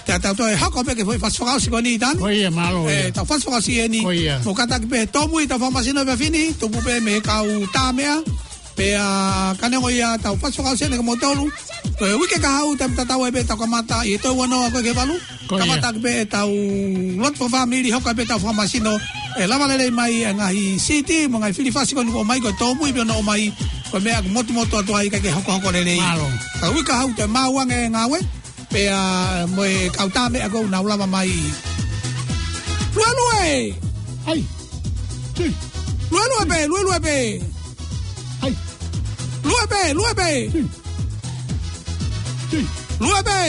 Te tau toe hoko pē ki he foʻi fasi fakaʻosi ko eni, Tani. Ko ia, mālō ia. Tau fasi fakaʻosi eni. Ko ia. Mo kātaki pē tōmui ʻetau fakamasino ʻi he efiafi ni, tupu pē mei he kau tā meʻa. Pea ka neongo ia tau fasi fakaʻosi eni ka mo tolu. Ko e uike kahaʻu, taimi tatau ai pē tau kamata ʻi he toe ua noa ko ē ki he valu. Ko ia. Kamata pē ʻetau lotu fakafāmili, hoko pē ʻetau fakamasino, ʻe lava lelei mai e ngaahi siti mo e ngaahi fili fasi ko eni kuo ʻomai, ko e tōmui pē ʻoku nau ʻomai, ko e meʻa ʻoku motumotu atu ai kae ke hokohoko lelei. Mālō. Ka uike kahaʻu toe maʻu ange e ngāue, pea mo e kau tā meʻa ʻoku nau lava mai. Luelue! Ai! Luelue pē, luelue pē! Ai! Lue pē, lue pē! Lue pē!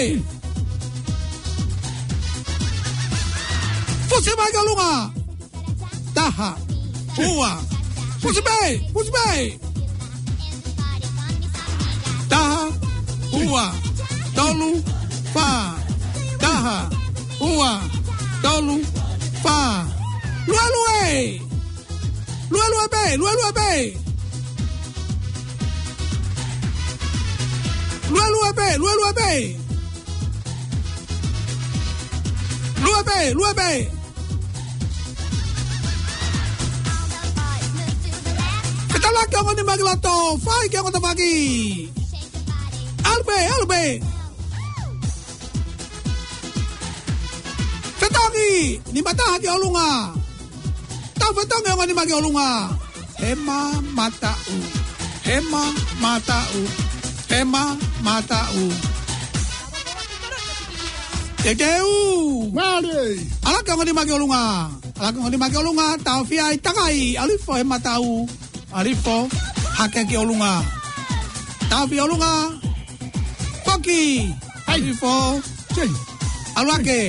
Fusi mai ki ʻolunga! Taha, ua, fusi pē, fusi pē! Taha, ua, tolu, fā. Taha, ua, tolu, fā. Luelue! Luelue pē, luelue pē. Luelue pē, luelue pē. Lue pē, lue pē. Fetalaki ongo nima ki loto, fai ki he ongo tafaʻaki. ʻAlu pē, ʻalu pē. Fetongi, nima taha ki ʻolunga. Tau fetongi ongo nima ki ʻolunga. He mamataʻu. He mamataʻu. He mamataʻu. Teuteu. Mālie. ʻAlu ki he ongo nima ki ʻolunga. ʻAlu ki he ongo nima ki ʻolunga. Taofia ʻi takai. ʻAlu hifo he mataʻu. ʻAlu hifo. Hake ki ʻolunga. Taofia ʻolunga. Foki. ʻAlu hifo. ʻAlu hake.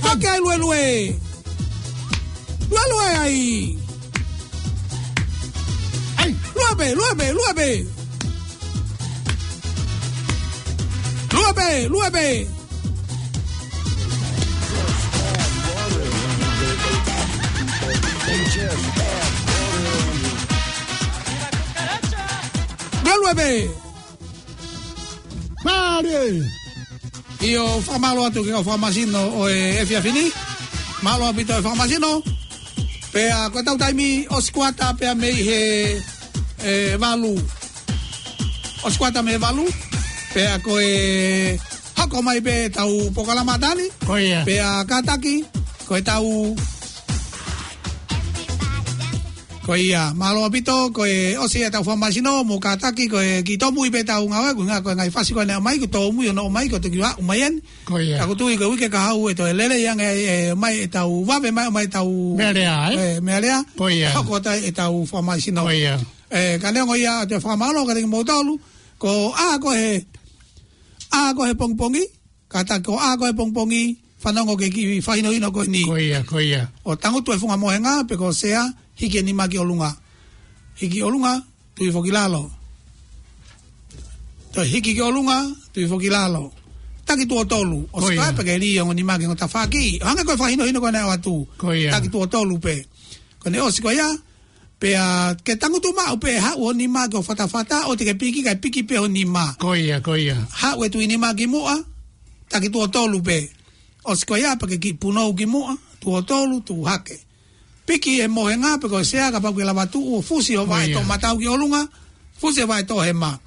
Hake ai luelue. Luelue ai. Ai, lue pē, lue pē, lue pē. Lue pē, lue pē. Luelue pē. Mālie. ʻIo, fakamālō atu ki he kau fakamasino ʻo e efiafi ni. Mālō ʻaupito e fakamasino. Pea ko ʻetau taimi ʻosi kuata pea mei he, e, valu. ʻOsi kuata mei he valu. Pea ko e hoko mai pē ʻetau polokalama, Tani. Ko ia. Pea kātaki, ko ʻetau Ko ia, mālō ʻaupito, ko e ʻosi ʻetau fakamāsino, mou kātaki, ko e kiʻi tōmui pē ʻetau ngāue, ko e ngaahi, ko e ngaahi fasi ko ē naʻe ʻomai, ko e tōmui hono ʻomai, ko e toki aʻu mai eni. Ko ia. Ka ʻoku ou tui ko e uike kahaʻu ʻe toe lelei ange e, e, mai ʻetau vave mai, mai ʻetau meʻalea, ē? E, meʻalea. Ko ia. Hoko atu ʻetau fakamāsino. Ko ia. E, ka neongo ia, ʻoatu e fakamālō kiate kimoutolu, ko e ʻaho ko ē, ʻaho ko ē he pongipongi, kātaki ko e ʻaho ko ē he pongipongi, fanongo ki he kiʻi fakahinohino ko eni. Ko ia, ko ia. ʻO tangutu e funga mohenga, pe ko e sea, hiki e nima ki ʻolunga. Hiki ʻolunga, tui foki lalo. Toe hiki ki ʻolunga, tui foki lalo. Taki tuʻo tolu, ʻosi ko ia. Ko ia pē ke lī ongo nima ki he ongo tafaʻaki. Hangē ko e fakahinohino ko ē naʻe ʻoatu. Ko ia. Taki tuʻo tolu pē. Ko ʻene ʻosi ko ia, pea ke tangutu maʻu pē haʻu ho nima ki ho fatafata, ʻoua te ke piki, kae piki pē ho nima. Ko ia, ko ia. Haʻu e tuʻi nima ki muʻa, taki tuʻo tolu pē. ʻOsi ko ia pea ke kiʻi punou ki muʻa, tuʻo tolu, tuʻu hake. Piki e mohenga pe ko e sea kapau ʻoku ke lava tuʻu ʻo fusi ho vaʻe toʻomataʻu ki ʻolunga, fusi e vaʻe toʻohema.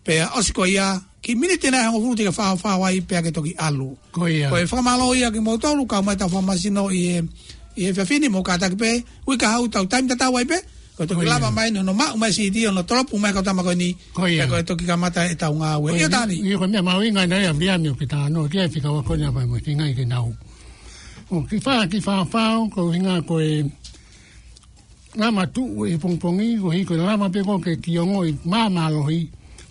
Pea ʻosi ko ia, kiʻi miniti ʻe hongofulu te ke faofao ai pea ke toki ʻalu. Ko ia. Ko e fakamālō ia kimoutolu, kau mai ʻetau fakamāsino ʻi he, ʻi he efiafi ni, mou kātaki pē, uike kahaʻu tau taimi tatau ai pē, ko e toki lava mai hono maʻu mai siʻi ʻo hono tolopu mai kau tama ko eni, pea ko e toki kamata ʻetau ngāue. ʻIo Tani. ʻIo, ko e meʻa mahuʻinga ʻena ia, Viliami, ʻoku ke talanoa ki ai, fika ua ko ena pea mo e feinga ke nau. ʻO kiʻi fa, kiʻi faofao, ko e ʻuhinga ko e lama tuʻu he pongipongi, koeʻuhi ko e lama pē ko ē ke kiʻi ongoʻi māmālohi,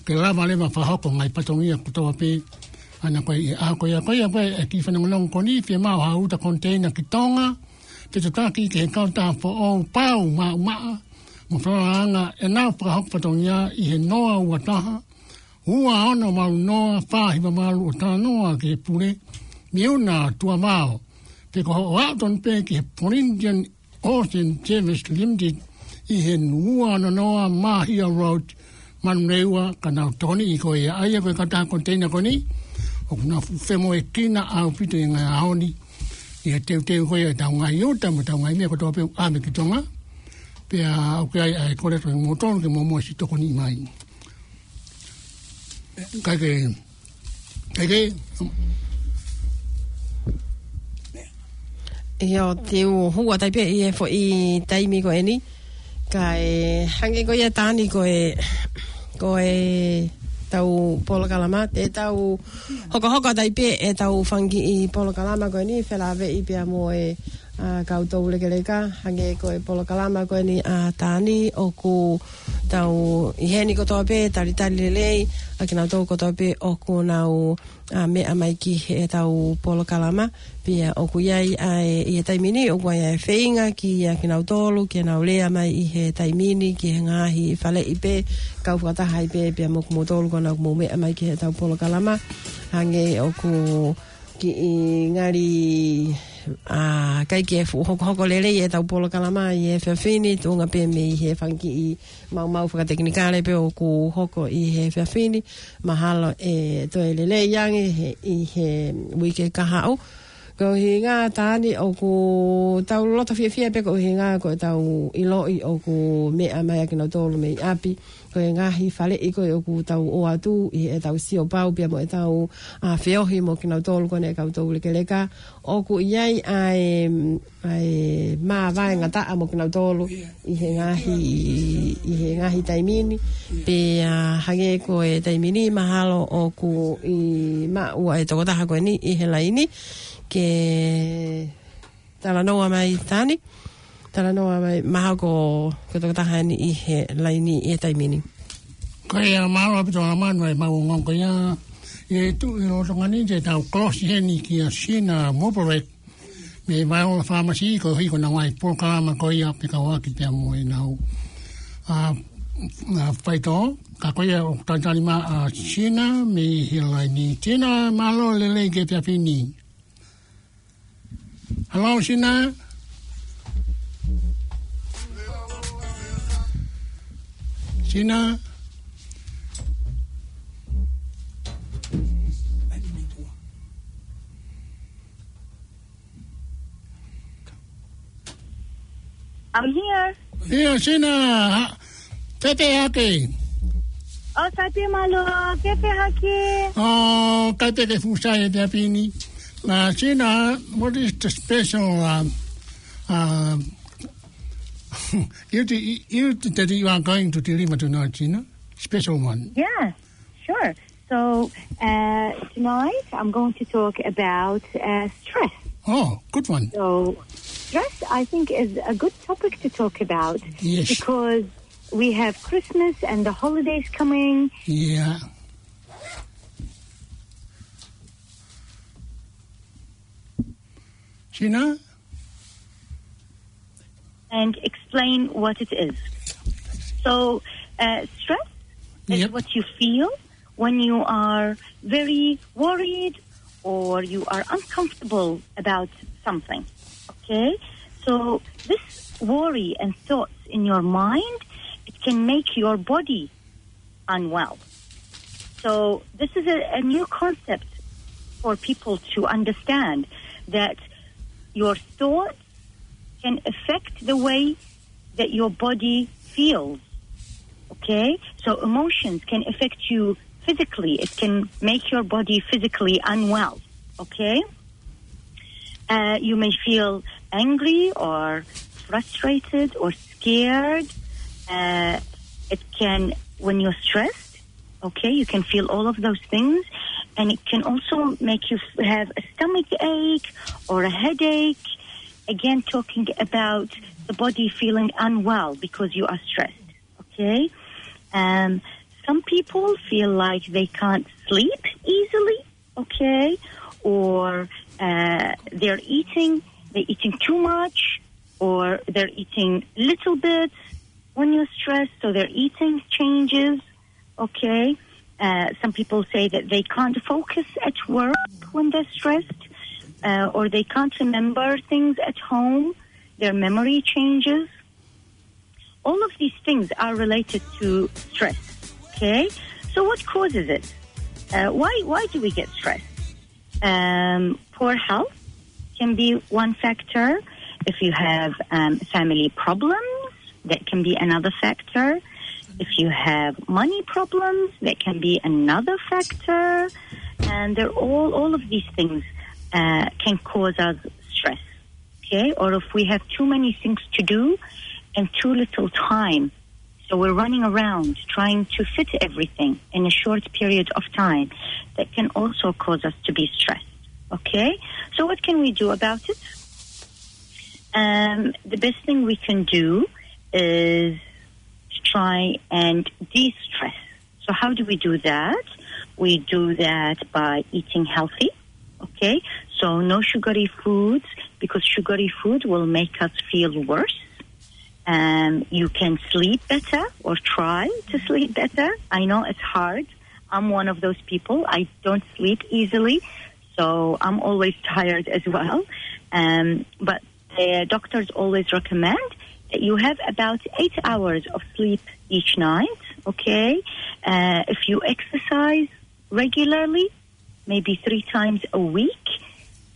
ke lava leva fakahoko ngaahi fatongia kotoa pē, ʻana ko ē, ʻa ko ia, ko ia, ko e kiʻi fanongonongo ko eni, fiemaʻu ha uta koniteina ki Tonga, ke tataki ki he kautaha foʻou pau maʻumaʻa, mo fakaanga ʻenau fakahoko fatongia ʻi he noa ua taha, ua ono valu noa, fā hiva valu ʻo talanoa ki he pule, Miuna Tuʻavao, pe ko hoʻo aʻu tonu pē ki he Polynesian Ocean Service Limited ʻi he ua ono noa Mahia Road, Manurewa, ka nau tokoniʻi koe ia. ʻA ia ko e kautaha koniteina ko eni, ʻoku nau femoʻuekina ʻaupito ʻi he ngaahi ʻaho ni, ʻi he teuteu ko ia ʻetau ngaahi uta mo ʻetau ngaahi meʻa kotoa pē ʻoku ʻave ki Tonga, pea ʻoku ʻi ai ʻa e kole atu kiate kimoutolu ke mou ʻosi tokoniʻi mai. Kae kehe, kae kehe. ʻIo, te u hū atu ai pē ʻi he foʻi taimi ko eni. Kae hangē ko ia Tani ko e, ko ʻetau polokalama, te tau hokohoko atu ai pē ʻetau fanga kiʻi polokalama ko eni, felāveʻi pea mo e ʻa e kau toulekeleka, hangē ko e polokalama ko eni ʻa Tani ʻoku tau ʻi heni kotoa pē, talitali lelei ʻa kinautolu kotoa pē ʻoku nau, ʻa, meʻa mai ki heʻetau polokalama, pea ʻoku ʻi ai ʻa e, ʻi he taimi ni, ʻoku ʻi ai ʻa e feinga kiate kinautolu, ke nau lea mai ʻi he taimi ni, ki he ngaahi faleʻi pē, kau fakataha ai pē, pea mo kimoutolu ko ena ʻoku mou meʻa mai ki heʻetau polokalama, hangē ʻoku kiʻi ngali, ʻa, ʻikai ke fuʻu hokohoko lelei ʻetau polokalama ʻi he efiafi ni, tuʻunga pē mei he fanga kiʻi maumau fakatekinikale pē ʻoku hoko ʻi he efiafi ni, mahalo ʻe toe lelei ange he, ʻi he uike kahaʻu. Ko e ʻuhinga Tani ʻoku tau loto fiefia pē ko e ʻuhinga ko ʻetau ʻiloʻi ʻoku meʻa mai ʻa kinautolu mei ʻapi. Ko e ngaahi faleʻi ko ē ʻoku tau ʻoatu ʻi heʻetau sio pau pea mo ʻetau, ʻa, feohi mo kinautolu ko ena ʻa e kau toulekeleka. ʻOku ʻi ai ʻa e, ʻa e māvae ngataʻa mo kinautolu ʻi he ngaahi, ʻi he ngaahi taimi ni. Pea hangē ko e taimi ni mahalo ʻoku ʻi maʻu ʻa e tokotaha ko eni ʻi he laini ke talanoa mai Tani. Talanoa mai, mahalo ko, ko e tokotaha eni ʻi he laini ʻi he taimi ni. Ko ia, mālō ʻaupito Alamanu ʻa e maʻu ongoongo ko ia. ʻE tuʻu ʻi loto ngani te tau kolosi heni kia Sina Moporet mei Vaiola Pharmacy, koeʻuhi ko ʻenau ngaahi polokalama ko ia pea kau ʻaki pea mo ʻenau, ʻa, ʻa, faitoʻo, ka ko ia ʻoku talitali mai ʻa Sina mei he laini. Sina, mālō e lelei ki he efiafi ni. Hello, Sina. Sina. I'm here. ʻIo, Sina, ha, fēfē hake? ʻOku sai pē mālō, fēfē hake? ʻOku ʻikai pē ke fuʻu sai he efiafi ni. Uh, Sina, what is the special, uh, uh, You, de- you that you are going to deliver tonight, Gina? Special one. Yeah, sure. So uh, tonight I'm going to talk about uh, stress. Oh, good one. So stress, I think, is a good topic to talk about Yes. because we have Christmas and the holidays coming. Yeah. Gina? And explain what it is. So, uh, stress is Yep. what you feel when you are very worried or you are uncomfortable about something. Okay? So, this worry and thoughts in your mind, it can make your body unwell. So, this is a, a new concept for people to understand that your thoughts can affect the way that your body feels. Okay? So emotions can affect you physically. It can make your body physically unwell. Okay? Uh, you may feel angry or frustrated or scared. Uh, it can, when you're stressed, okay, you can feel all of those things. And it can also make you f- have a stomach ache or a headache. Again, talking about the body feeling unwell because you are stressed, okay? Um, some people feel like they can't sleep easily, okay? Or uh, they're eating, they're eating too much, or they're eating little bits when you're stressed, so their eating changes, okay? Uh, some people say that they can't focus at work when they're stressed, uh, or they can't remember things at home. Their memory changes. All of these things are related to stress, okay? So what causes it? Uh, why, why do we get stressed? Um, poor health can be one factor. If you have um, family problems, that can be another factor. If you have money problems, that can be another factor. And they're all, all of these things uh, can cause us stress. Okay? Or if we have too many things to do and too little time, so we're running around trying to fit everything in a short period of time, that can also cause us to be stressed. Okay? So what can we do about it? Um, the best thing we can do is to try and de-stress. So how do we do that? We do that by eating healthy. Okay? So no sugary foods, because sugary food will make us feel worse. Um, you can sleep better or try to sleep better. I know it's hard. I'm one of those people. I don't sleep easily, so I'm always tired as well. Um, but the doctors always recommend that you have about eight hours of sleep each night, okay? Uh, if you exercise regularly, maybe three times a week,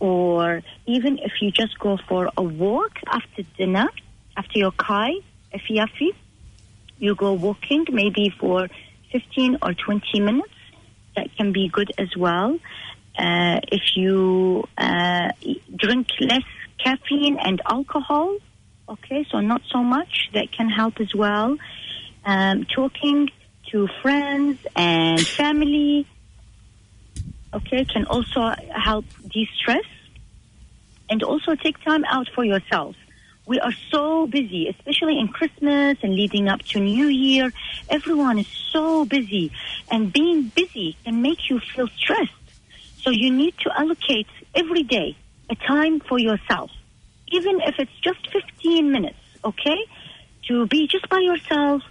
or even if you just go for a walk after dinner, after your kai, efiafi, you go walking maybe for fifteen or twenty minutes. That can be good as well. Uh, if you uh, drink less caffeine and alcohol, okay, so not so much, that can help as well. Um, talking to friends and family, okay, can also help de-stress. And also take time out for yourself. We are so busy, especially in Christmas and leading up to New Year. Everyone is so busy, and being busy can make you feel stressed. So you need to allocate every day a time for yourself, even if it's just fifteen minutes, okay? To be just by yourself,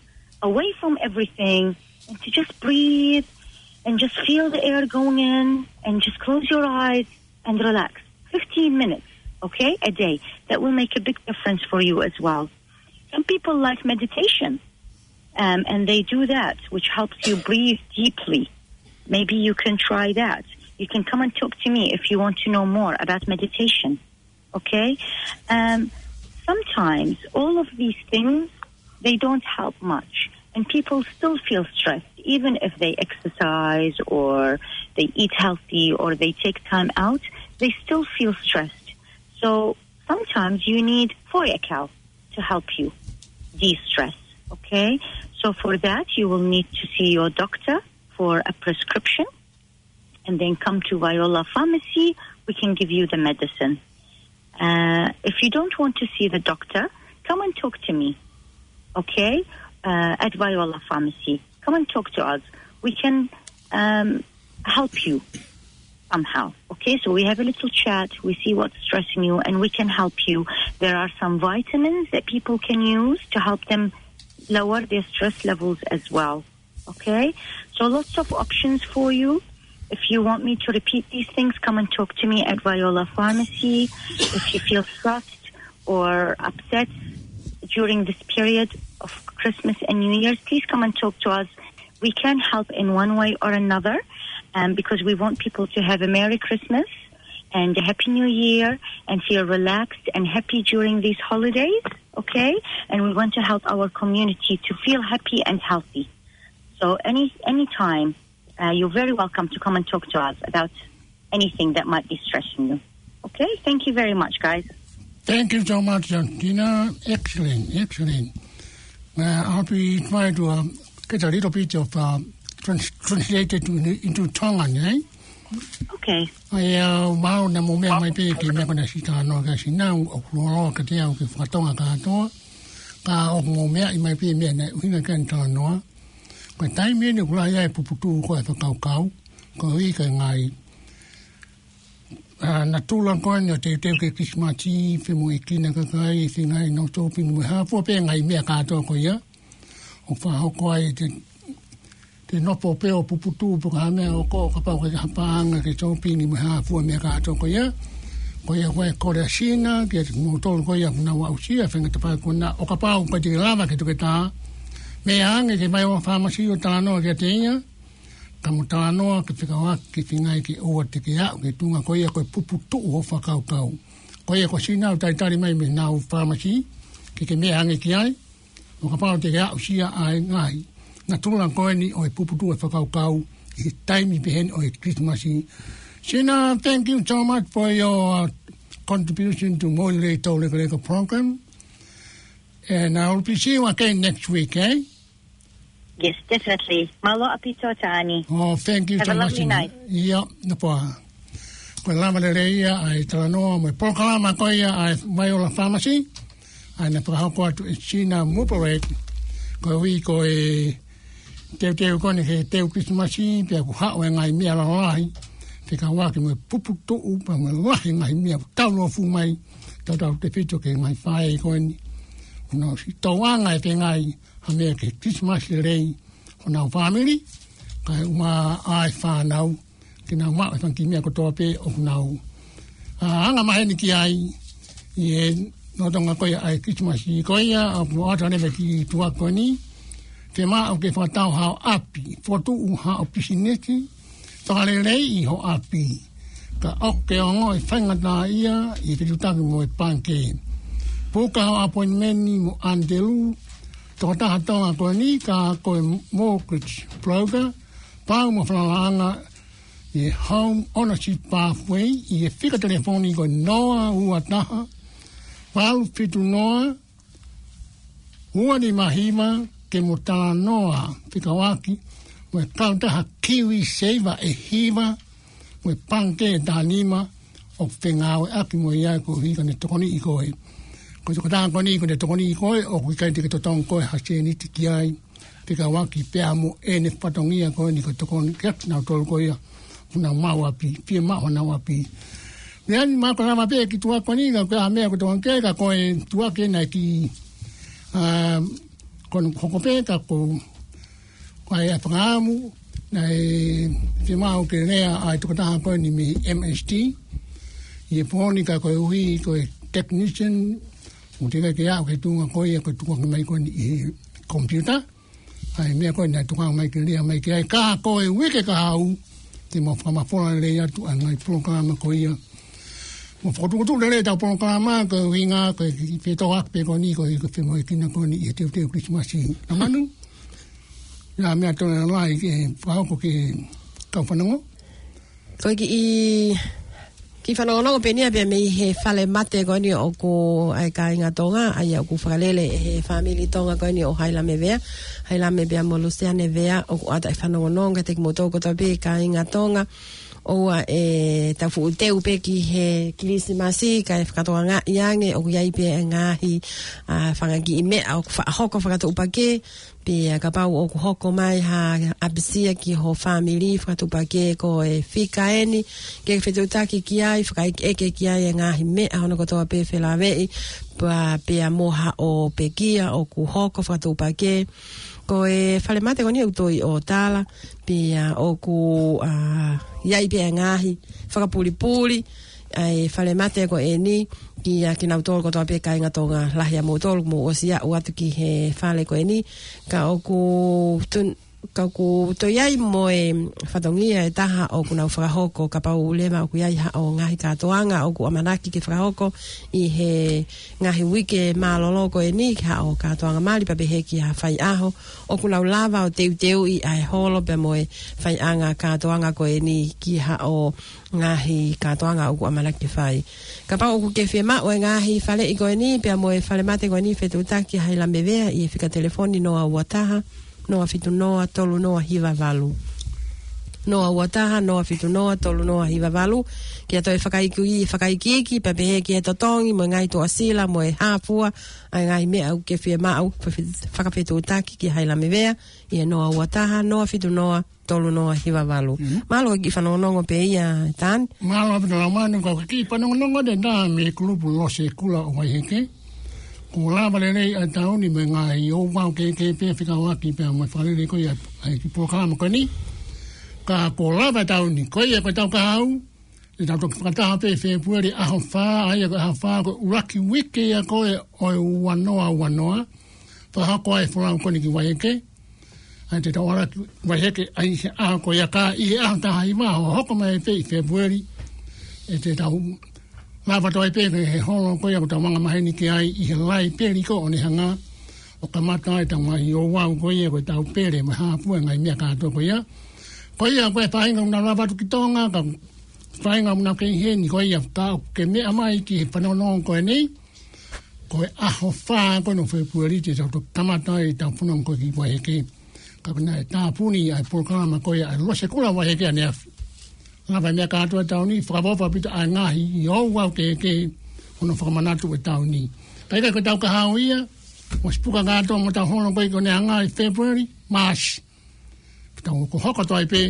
away from everything, and to just breathe and just feel the air going in and just close your eyes and relax. fifteen minutes, okay, a day. That will make a big difference for you as well. Some people like meditation, um, and they do that, which helps you breathe deeply. Maybe you can try that. You can come and talk to me if you want to know more about meditation, okay? Um, sometimes all of these things, they don't help much. And people still feel stressed, even if they exercise or they eat healthy or they take time out, they still feel stressed. So sometimes you need forecal to help you. de-stress. Okay? So for that, you will need to see your doctor for a prescription and then come to Viola Pharmacy. We can give you the medicine. Uh, if you don't want to see the doctor, come and talk to me, okay? Uh, at Viola Pharmacy. Come and talk to us. We can, um, help you somehow, okay? So we have a little chat, we see what's stressing you, and we can help you. There are some vitamins that people can use to help them lower their stress levels as well. Okay, so lots of options for you. If you want me to repeat these things, come and talk to me at Viola Pharmacy. If you feel stressed or upset during this period of Christmas and New Year's, please come and talk to us. We can help in one way or another, um, because we want people to have a Merry Christmas and a Happy New Year and feel relaxed and happy during these holidays, okay? And we want to help our community to feel happy and healthy. So any, anytime, uh, you're very welcome to come and talk to us about anything that might be stressing you. Okay? Thank you very much, guys. Thank you so much, Justina. Excellent, excellent. Uh, I'll be trying to, um, get a little bit of, uh, trans-, translated to, into Tongan, eh? Okay. ʻA ia, uh, mau na mo mea mai pē ki he meʻa ko ena sita no ka sina, ʻoku loloa ka te au ke fakatonga kātoa. Ka ʻoku mo meaʻi mai pē meʻa naʻe ʻuhinga ki ai e talanoa. Ko e taimi eni ʻoku lahi ai e puputuʻu ko ē e fakakaukau, koeʻuhi ko e ngaahi, ʻa, natula ko eni ʻo e teuteu ki he Kilisimasi, femoʻuekina e kakai, feinga ke nau shopping mo e hā fua pē ngaahi meʻa kātoa ko ia. ʻOku fakahoko ai te, te nofo pē ʻo puputuʻu pe ko ha meʻa ʻoku, kapau ʻoku ʻikai ke ha paʻanga ke shopping mo e hā fua meʻa kātoa ko ia. Ko ia ko e kole ʻa Sina kiate kimoutolu ko ia ʻoku nau aʻusia e faingataʻa ko ena, ʻo kapau ʻoku ʻikai te ke lava ke toketā, meʻa ange ki Viola Pharmacy ʻo talanoa kiate ia, ka mo talanoa ke fekauʻaki ki he feinga ke ʻoua te ke aʻu ki he tuʻunga ko ia ko e puputuʻu hoʻo fakakaukau. Ko ia ko Sina ʻoku talitali mai mei honau pharmacy ke ke meʻa ange ki ai, ʻo kapau te ke aʻusia ʻa e ngaahi natula ko eni ʻo e puputuʻu e fakakaukau ʻi he taimi pehē ni ʻo e Kilisimasi. Sina, thank you so much for your, uh, contribution to Moʻui Lelei Toulekeleka program. And I will be see you again next week, eh? Yes, definitely. Mālō ʻaupito, Tani. Oh, thank you so much. Have a lovely night. Ia, na pā. Ko e lava lelei ia ʻa e talanoa mo e polokalama ko ia ʻa e Viola Pharmacy, ʻa ia naʻe fakahoko atu ʻe Sina Mubarak, koeʻuhi ko e teuteu ko eni ki he teu Kilisimasi, pea ʻoku haʻu e ngaahi meʻa lalahi, fekauʻaki mo e puputuʻu, pea mo e lahi e ngaahi meʻa ʻoku taulōfuʻu mai, tautautefito ki he ngaahi faʻē ko eni. ʻOku nau ʻosi tauʻanga e feinga ha meʻa ki he Kilisimasi lelei honau fāmili, kae ʻumaʻā e fānau, ke nau maʻu e fanga kiʻi meʻa kotoa pē ʻoku nau, ʻa, anga maheni ki ai ʻi he lolotonga ko ia ʻa e Kilisimasi. Ko ia ʻoku ʻoatu leva e kiʻi tuʻa ko eni: Fiemaʻu ke fakatau haʻo ʻapi, fokotuʻu haʻo pisinisi, fakaleleiʻi ho ʻapi, ka ʻoku ke ongoʻi faingataʻaʻia ʻi he fetuʻutaki mo e pangikē, puka ho appointment mo Andrew, tokotaha Tonga ko eni ka ko e mortgage broker, pau mo e falalaʻanga ʻi he Home Ownership Pathway, ʻi he fika telefoni ko e noa ua taha, valu fitu noa, ua nima hiva, ke mo talanoa fekauʻaki mo e kautaha KiwiSaver ʻe hiva mo e pangikē ʻe taha nima ʻoku fengāueʻaki mo ia koeʻuhi ke ne tokoniʻi koe. Ko e tokotaha ko eni ʻoku ne tokoniʻi koe, ʻoku ʻikai te ke totongi koe ha sēniti ki ai, fekauʻaki pea mo ʻene fatongia ko eni ko e tokoni kiate kinautolu ko ia ʻoku nau maʻu ʻapi, fiemaʻu honau ʻapi. Meʻa ni ma ko e lava pē e kiʻi tuʻa ko eni, ka ko e hā e meʻa ʻoku tokanga ki ai, ka ko e tuʻa ko ena e kiʻi, ʻa, ko hono hoko pē ka ko, ko e fakaʻamu, naʻe fiemaʻu ke lea ʻa e tokotaha ko eni mei M S T ʻi he pō ni, ka koeʻuhi ko e technician, ʻoku teʻeki ke aʻu ki he tuʻunga ko ia ko e tukuange mai ko eni ʻi he computer ʻa e meʻa ko ē naʻe tokanga mai ke lea mai ki ai. Ka ko e uike ka haʻu, te mau fakamafola lelei atu ʻa e ngaahi polokalama ko ia. Mo fokotuʻutuʻu lelei ʻetau polokalama, ko e ʻuhinga ko e kiʻi fetōʻaki pē ko eni, ko e kiʻi femoʻuekina ko eni ʻi he teuteu Kilisimasi. Naʻa manu, ʻi ai ha meʻa tonu ʻe lava ke fakahoko ki he kau fanongo? Ko e kiʻi Kiʻi fanongonongo pē eni ia pea mei he fale mate ko eni ʻoku ʻa e kāinga Tonga, ʻa ia ʻoku fakalele ʻe he fāmili Tonga ko eni ʻo Hailame Vea. Hailame pea mo Lusiane Vea ʻoku ʻatā e fanongonongo kiate kimoutolu kotoa pē kāinga Tonga. ʻOua ʻe tau fuʻu teu pē ki he Kilisimasi, kae fakatokangaʻi ange ʻoku ʻi ai pē e ngaahi, ʻa, fanga kiʻi meʻa ʻoku faʻa hoko fakatuʻupakē, pea kapau ʻoku hoko mai ha ʻapisia ki ho fāmili fakatuʻupakē ko e fika eni, ke fetuʻutaki ki ai, fakaʻekeʻeke ki ai e ngaahi meʻa hono kotoa pē felāveʻi, pea, pea mo haʻo pekia ʻoku hoko fakatuʻupakē. Ko e fale mate ko eni ʻoku toe ʻi ʻOtala, pea ʻoku, ʻa, ʻi ai pē e ngaahi fakapulipuli ʻa e fale mate ko eni, kiate kinautolu kotoa pē kāinga Tonga, lahi ʻa moutolu mou ʻosi aʻu atu ki he fale ko eni, ka ʻoku tun-, ka ʻoku toe ʻi ai mo e fatongia ʻe taha ʻoku nau fakahoko kapau leva ʻoku ʻi ai haʻo ngaahi kātoanga ʻoku ʻamanaki ke fakahoko ʻi he ngaahi uike mālōlō ko eni, ki haʻo kātoanga mali pea pehē ki ha faiʻaho, ʻoku nau lava ʻo teuteuʻi ʻa e holo pea mo e faiʻanga kātoanga ko eni ki haʻo ngaahi kātoanga ʻoku ʻamanaki ke fai. Kapau ʻoku ke fiemaʻu e ngaahi faleʻi ko eni pea mo e fale mate ko eni, fetuʻutaki Hailame Vea ʻi he fika telefoni noa ua taha, noa fitu noa, tolu noa hiva valu. Noa ua taha, noa fitu noa, tolu noa hiva valu. Ke ʻoua toe fakaikiiki, fakaikiiki, pea pehē ki he totongi, mo e ngaahi tuʻasila, mo e hāfua, ʻa e ngaahi meʻa ʻoku ke fiemaʻu, fe-, fakafetuʻutaki kia Hailame Vea, ʻi he noa ua taha, noa fitu noa, tolu noa hiva valu. Mhm. Mālō e kiʻi fanongonongo pē ia, Tani. Mālō ʻaupito Laumanu, ko e kiʻi fanongonongo ʻe taha mei he kulupu Losekula ʻo Vaiheke. Kuo lava lelei ʻa e taʻu ni mo e ngaahi ouau kehekehe pea fekauʻaki pea mo e fakalele ko ia ʻa e kiʻi polokalama ko eni. Ka kuo lava e taʻu ni, ko ia ko ʻetau kahaʻu, ʻe tau toki fakataha pē ʻi Fēpueli ʻaho fā, ʻa ia ko e ʻaho fā ko e ʻuluaki uike ia ko ē ʻo e ua noa ua noa. Fakahoko ai e folau ko eni ki Vaiheke. ʻA ia te tau ala ki Vaiheke ʻa ia he ʻaho ko ia, ka ʻi he ʻaho taha hiva ʻo hoko mai pē ʻi Fēpueli, ʻe te tau lava toe pē he holo ko ia ʻoku tau anga maheni ki ai ʻi he Laipeli ko ʻOnehanga, ʻo kamata ai ʻetau ngaahi ouau ko ia ko ʻetau pele mo e hāfua e ngaahi meʻa kātoa ko ia. Ko ia ko e faʻahinga ʻoku nau lava atu ki Tonga, ka faʻahinga ʻoku nau kei ʻi heni ko ia, ka ʻoku ke meʻa mai ki he fanongonongo ko eni, ko e ʻaho fā ko eni ʻo Fēpueli te tau toki kamata ai ʻetau fononga ko ē ki Vaiheke. Ka ko ena ʻe tāpuni ʻa e polokalama ko ia ʻa e Losekula Vaiheke ʻaneafi. Lava e meʻa kātoa e taʻu ni, fakaʻofoʻofa ʻaupito ʻa e ngaahi ouau kehekehe hono fakamanatu e taʻu ni. Ka ʻi ai ko ʻetau kahaʻu ia, ʻosi puka kātoa mo ʻetau holo ko ē ki ʻOnehanga ʻi Fēpueli, Maasi. Ke tau hokohoko atu ai pē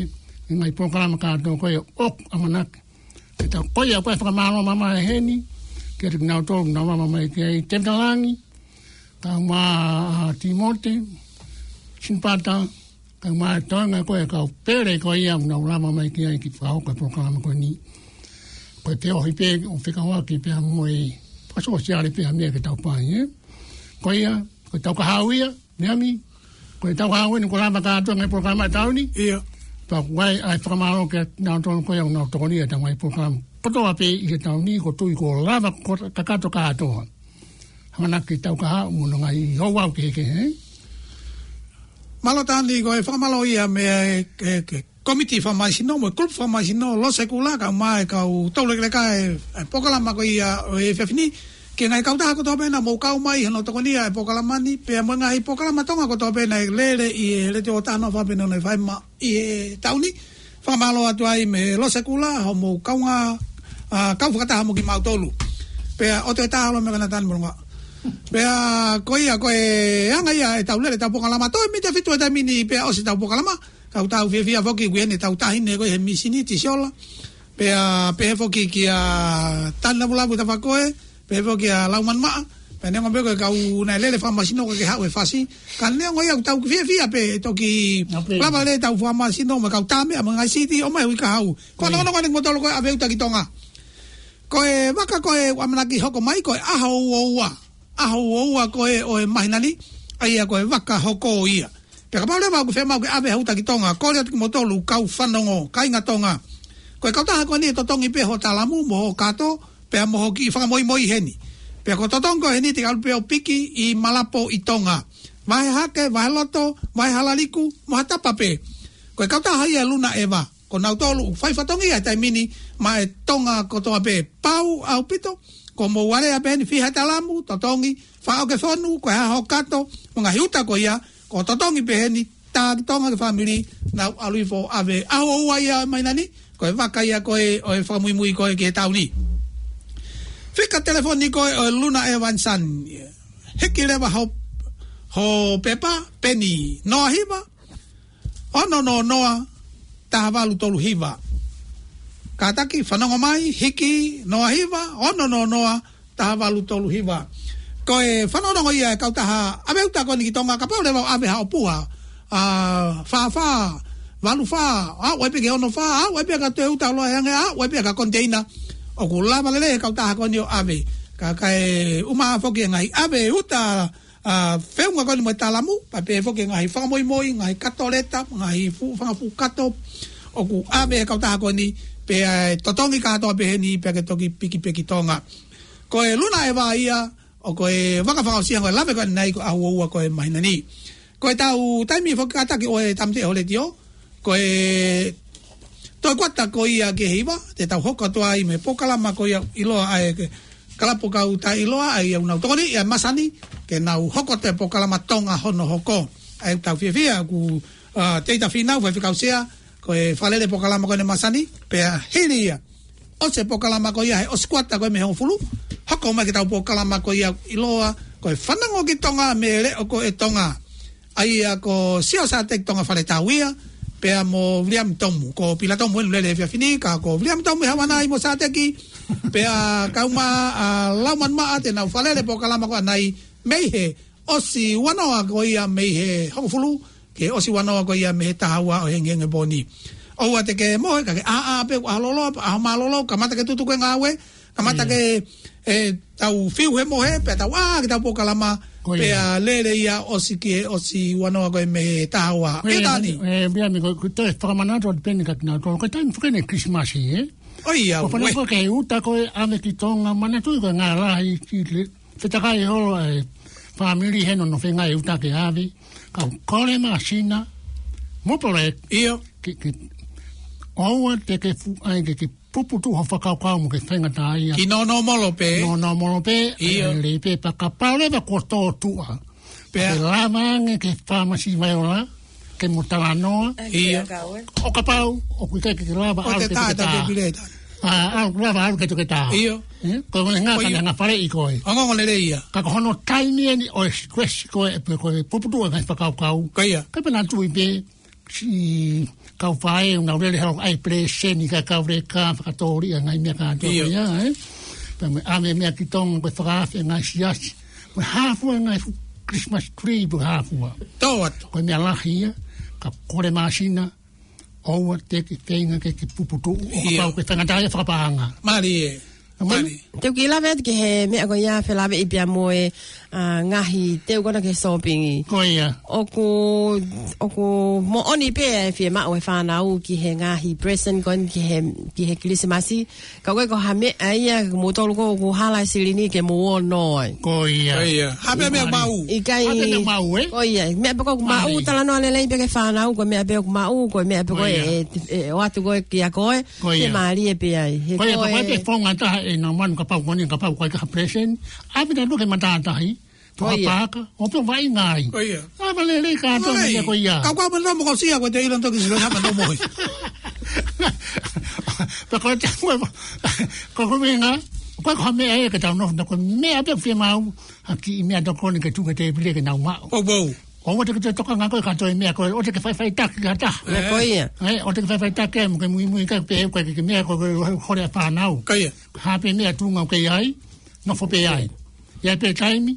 e ngaahi polokalama kātoa ko ē ʻoku ʻamanaki ke tau, ko ia ko e fakamālō mamae heni kiate kinautolu ʻoku nau lava mai ki ai, Tēvita Langi, kae ʻumaʻā ʻa Tīmote Sinipata, kae ʻumaʻā e toenga ko ē e kau pele ko ia ʻoku nau lava mai ki ai ke fakahoko e polokalama ko eni. Ko e feohi pē ʻo fekauʻaki pea mo e fakasōsiale pē ha meʻa ke tau fai, ē? Ko ia, ko ʻetau kahaʻu ia, Miami, ko ʻetau kahaʻu eni kuo lava kātoa e ngaahi polokalama e taʻu ni. ʻIo. Pea ʻoku ʻi ai ʻa e fakamālō kiate kinautolu ko ia ʻoku nau tokoni ʻi heʻetau ngaahi polokalama kotoa pē ʻi he taʻu ni, ʻoku ou tui kuo lava ko-, kakato kātoa. ʻAmanaki ke tau kahaʻu mo hono ngaahi ouau kehekehe. Mālō Tani, ko e fakamālō ia mei he, e, e, Kōmiti Fakamaisino mo e kulupu fakamaisino Losekula, kae ʻumaʻā e kau toulekeleka e, e polokalama ko ia ʻo e efiafi ni. Ki he ngaahi kautaha kotoa pē naʻa mou kau mai hono tokoniʻi e polokalama ni, pea mo e ngaahi polokalama Tonga kotoa pē naʻe lele ʻi he Letiō ʻOtua noa fā pē noa noa fā ʻi he taʻu ni. Fakamālō atu ai mei Losekula, hoʻomou kaungā, ʻa, kau fakataha mo kimautolu. Pea ʻoatu e taha ʻo e meʻa ko ena Tani Molonga. Pea ko ia ko e anga ia ʻetau lele ʻetau polokalama, toe miniti ʻe fitu he taimi ni pea ʻosi ʻetau polokalama. Ka ʻoku tau fiefia foki ʻoku ʻi heni ʻetau taʻahine ko ē he mīsini, Tisiola. Pea pehē foki kia Tani Lavulavu Tafakoe, pehē foki kia Laumanu Maʻa. Pea neongo pē ko e kau naʻe lele fakamaisino ka ke haʻu he fasi. Ka neongo ia ʻoku tau fiefia pē ʻe toki lava lelei ʻetau fakamaisino mo e kau tā meʻa mo e ngaahi CD ʻo mai hui kahaʻu. Ko e fanongonongo eni kimoutolu ko ē ʻa Veuta ki Tonga. Ko e vaka ko ē ʻoku ʻamanaki hoko mai ko e ʻaho ua ua. ʻAho ua ua ko ē ʻo e māhina ni, ʻa ia ko e vaka hoko ia. Pea kapau leva ʻoku ke fiemaʻu ke ʻave ha uta ki Tonga, kole atu kimoutolu kau fanongo, kāinga Tonga. Ko e kautaha ko eni ʻe totongi pē hoʻo talamu mo hoʻo kato, pea mo hoʻo kiʻi fakamoimoi heni. Pea ko e totongi ko eni te ke ʻalu pē ʻo piki ʻi Malapo ʻi Tonga. Vahe Hake, Vahe Loto, Vahe Halaliku, mo ha tapa pē. Ko e kautaha ia ʻe Luna ʻEva. ko nautolu ʻoku fai fatongia he taimi ni maʻa e Tonga kotoa pē. Pau ʻaupito, ko mou alea pē heni, fiha talamu, totongi, faʻo ke fonu, ko e hā hoʻo kato, mo e ngaahi uta ko ia, ko e totongi pē heni, tā ki Tonga ki he fāmili, nau ʻalu hifo ʻo ʻave. ʻAho ua ia ʻo e māhina ni, ko e vaka ia ko ē ʻo e fakamuimui ko ē ki he taʻu ni. Fika telefoni ko ē ʻo e Luna Evanson. Hiki leva ho, ho pepa, peni noa hiva, ono noa noa, taha valu tolu hiva. Kātaki, fanongo mai, hiki noa hiva, ono noa noa, taha valu tolu hiva. Ko e fanongonongo ia e kautaha ʻave uta ko eni ki Tonga, kapau leva ʻave haʻo puha, ʻa, fā fā, valu fā, ʻa, ʻave pē ki he ono fā, ʻa, ʻave pē ki ha toe uta ʻo loa ange, ʻa, ʻave pē ki ha koniteina. ʻOku lava lelei e kautaha ko eni ʻo ʻave. Ka, kae ʻumaʻā foki e ngaahi ʻave uta, ʻa, feʻunga ko eni mo e talamu, pea pehē foki e ngaahi fakamoimoi, ngaahi kato leta, ngaahi fuʻu, fanga fuʻu kato, ʻoku ʻave he kautaha ko eni, pea ʻe totongi kātoa pē heni, pea ke toki piki pē ki Tonga. Ko e Luna Eva ia, ʻo ko e vaka fakaʻosi ia ko e lave ko eni ko e ʻaho ua ko e māhina ni. Ko e tau taimi foki kātaki ʻo e Tāmateʻi Letiō, ko e toe kuata ko ia ki he hiva, te tau hoko atu ai mo e polokalama ko ia ʻiloa ʻa e Kalapu Kau Taʻeʻiloa, ʻa ia ʻoku nau tokoni ʻia Masani, ke nau hoko atu e polokalama Tonga Hono Hoko. ʻA ia ʻoku tau fiefia, ʻoku, ʻa, Teita Fīnau, Faifekau Sea, ko e fakalele polokalama ko eni Masani, pea hili ia ʻosi e polokalama ko ia he ʻosi kuata ko ē mei he hongofulu, hoko mai ki he tau polokalama ko ia ʻiloa ko e Fanongo ki Tonga mei he Leʻo ko e Tonga. ʻA ia ko Sio Sateki Tonga Fale Tau ia, pea mo Viliami Tomu, ko Pila Tomu ʻoku lele he efiafi ni, ka ko Viliami Tomu ʻi Havanai mo Sateki, pea kau mai ʻa Laumanu Maʻa te nau fakalele polokalama ko eni mei he ʻosi ua noa ko ia mei he hongofulu, ki he ʻosi ua noa ko ia mei he taha ua ʻo e hengihengipō ni. ʻOua te ke mohe, ka ke ʻā, ʻā pē, ʻaho loloa, ʻaho mālōlō, kamata ke tutuku e ngāue, kamata ke, ʻe, tau fiu he mohe, pea tau ʻā ki he tau polokalama, pea lele ia ʻosi ki he ʻosi ua noa ko ia mei he taha ua. ʻE, Tani. ʻE, Viliami, ko, ko e toe fakamanatu atu pē eni kia kinautolu, ko e taimi foki eni Kilisimasi, ē? ʻOi, ia, ko e fanongo ko ē ki he uta ko ē ʻave ki Tonga, manatuʻi ko e ngaahi lahi, ki le, fetakai holo e fāmili he nofo feinga e uta ke ʻave, ka u kole māsina, mo pole, ʻio, ke, ke, ʻoua te ke fuʻu ʻai ke, ke puputuʻu ho fakakaukau mo ke faingataʻaʻia. Ki nō nōmolo pē. Nō nōmolo pē, ʻio, ʻe lelei pē pea kapau leva kuo tō tuʻa. Pea. Ke lava ange ki he fāmasi Vaiola, ke mo talanoa. ʻIo. ʻO kapau ʻoku ʻikai ke ke lava ʻalu ke toketā. ʻA, ʻalu lava ʻalu ke toketā. ʻIo. Ē? Ko e ngaahi ngāue ʻa e ngaahi faleʻi ko ē. Ongoongo lelei ia. Ka ko hono taimi eni ʻo e request ko ē, pe ko e puputuʻu e ngaahi fakakaukau. Ko ia. Ka pea nau tui pē, siʻi kau faʻē ʻoku nau lele holo ʻai peleseni ka kau leka fakatōliʻa ngaahi meʻa kātoa ko ia, ē? Pea mo e ʻave meʻa ki Tonga ko e fakaafe ngaahi siasi. Ko e hā fua ngaahi fuʻu Christmas tree pe hā fua. Tō atu. Ko e meʻa lahi ia, ka kole māsina, ʻoua te ke feinga ke ke puputuʻu, ʻo kapau ke faingataʻaʻia fakapaʻanga. Mālie. Mālie. Te u kiʻi lave atu ki he meʻa ko ia felāveʻi pea mo e, ʻa, ngaahi teu ko ena ki he sōpingi. Ko ia. ʻOku, ʻoku moʻoni pē ʻa e fiemaʻu e fānau ki he ngaahi present ko eni ki he, ki he Kilisimasi. Ka ko e ko ha meʻa ia, mou tolu ko ē ʻoku hala e silini ke mou ō ʻo nō ai. Ko ia. Ko ia. Hā pē meʻa ʻoku maʻu. ʻIkai. Hā pē meʻa ʻoku maʻu, ē? Ko ia. Meʻa pē ko ē ʻoku maʻu, mālie, talanoa lelei pē ki he fānau, ko e meʻa pē ʻoku maʻu, ko e meʻa pē ko ē, ko ia, ē, ē, ʻoatu ko ē kia koe. Ko ia. Ke mālie pē ai. He ko ia, ko e, ko e pē founga ʻe taha ʻe nau manu kapau ko eni, kapau ko e ka ha present. ʻAve nautolu ki he matātahi. Ko ia. Tuʻa pāka, ʻo pē ʻo vaʻinga ai. Ko ia. ʻAve lelei kātoa e meʻa ko ia. Ka ko e manu mo ko sia ko e te ila toki silo hama no mohi. Pea ko e te ko e, ko e ko e meʻa, ko e ko e meʻa ē ke tau nofo, ko e meʻa pē fiemaʻu, ha kiʻi meʻatokoni ke tuku ki he tēpile ke nau maʻu. ʻO pou. ʻOua te ke toe tokanga koe ki ha toe meʻa ko ē, ʻoua te ke faʻifaʻitaki ki ha taha. Ē, ko ia. Ē, ʻoua te ke faʻifaʻitaki mo ke muimui ki ha pē, ko e ke meʻa ko e, ko e hole ʻa e fānau. Ko ia. Hā pē meʻa tuʻunga ʻoku ke ʻi ai, nofo pē ai. ʻI ai pē taimi,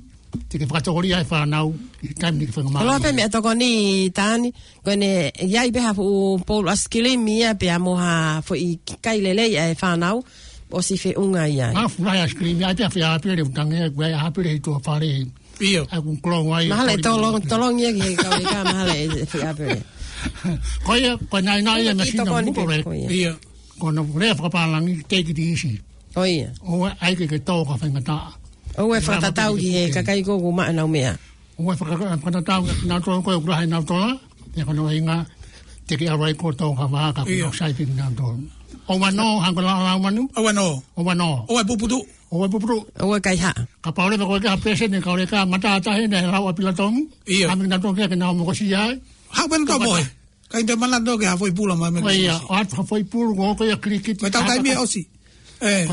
te ke fakatōliʻa e fānau, ʻi he taimi ni ke fakamālō. Koloa pē meʻatokoni Tani, ko ʻene ʻi ai pē ha fuʻu poulu ʻaisikilimi ia pea mo ha foʻi kai lelei ʻa e fānau, ʻosi feʻunga ia. Mafu lahi ʻaisikilimi, ʻi ai pē ha fē ʻāpele ʻoku tangi ai, ko e ʻāpele ʻi tuʻa fale. ʻIo. ʻA ia ʻoku kolo ai. Mahalo ʻe tolong, tolong ia ki he kau leka, mahalo ʻe fē ʻāpele. Ko ia, ko e naʻinaʻi ia, ko e meʻa kiʻi sino tokoni pē, ko ia. ʻIo. Ko hono lea fakapālangi, take it easy. Ko ia. ʻOua ʻai ke ke tō ka faingataʻa. ʻOua ʻe fakatatau ki he kakai ko ē ʻoku maʻu ʻenau meʻa. ʻOua ʻe faka-, fakatatau ki he nautolu ko ē ʻoku lahi ʻenau tola, pea ko hono ʻuhinga, Te ke ʻalu ai kotoa ka vaha ka ʻIo. Kuo sai kinautolu. ʻOua naʻa, hangē ko e lau lau manu. ʻOua naʻa. ʻOua naʻa. ʻOua e puputuʻu. ʻOua e puputuʻu. ʻOua e kaihaʻa. Kapau leva ko e kei ha peseti, ka ʻoku ʻikai ke mata tahi ʻene lau ʻa Pilatomu. ʻIo. Ka mei kinautolu ke ke nau mokosia ai. Haʻu pē nautolu mo e. Ka ʻi te manatu ki ha foʻi pulu mai mei ʻIo, Kilisimasi. ʻO atu ha foʻi pulu, ko e ko ia kilikiti. Ko e tau taimi ʻosi. ʻE.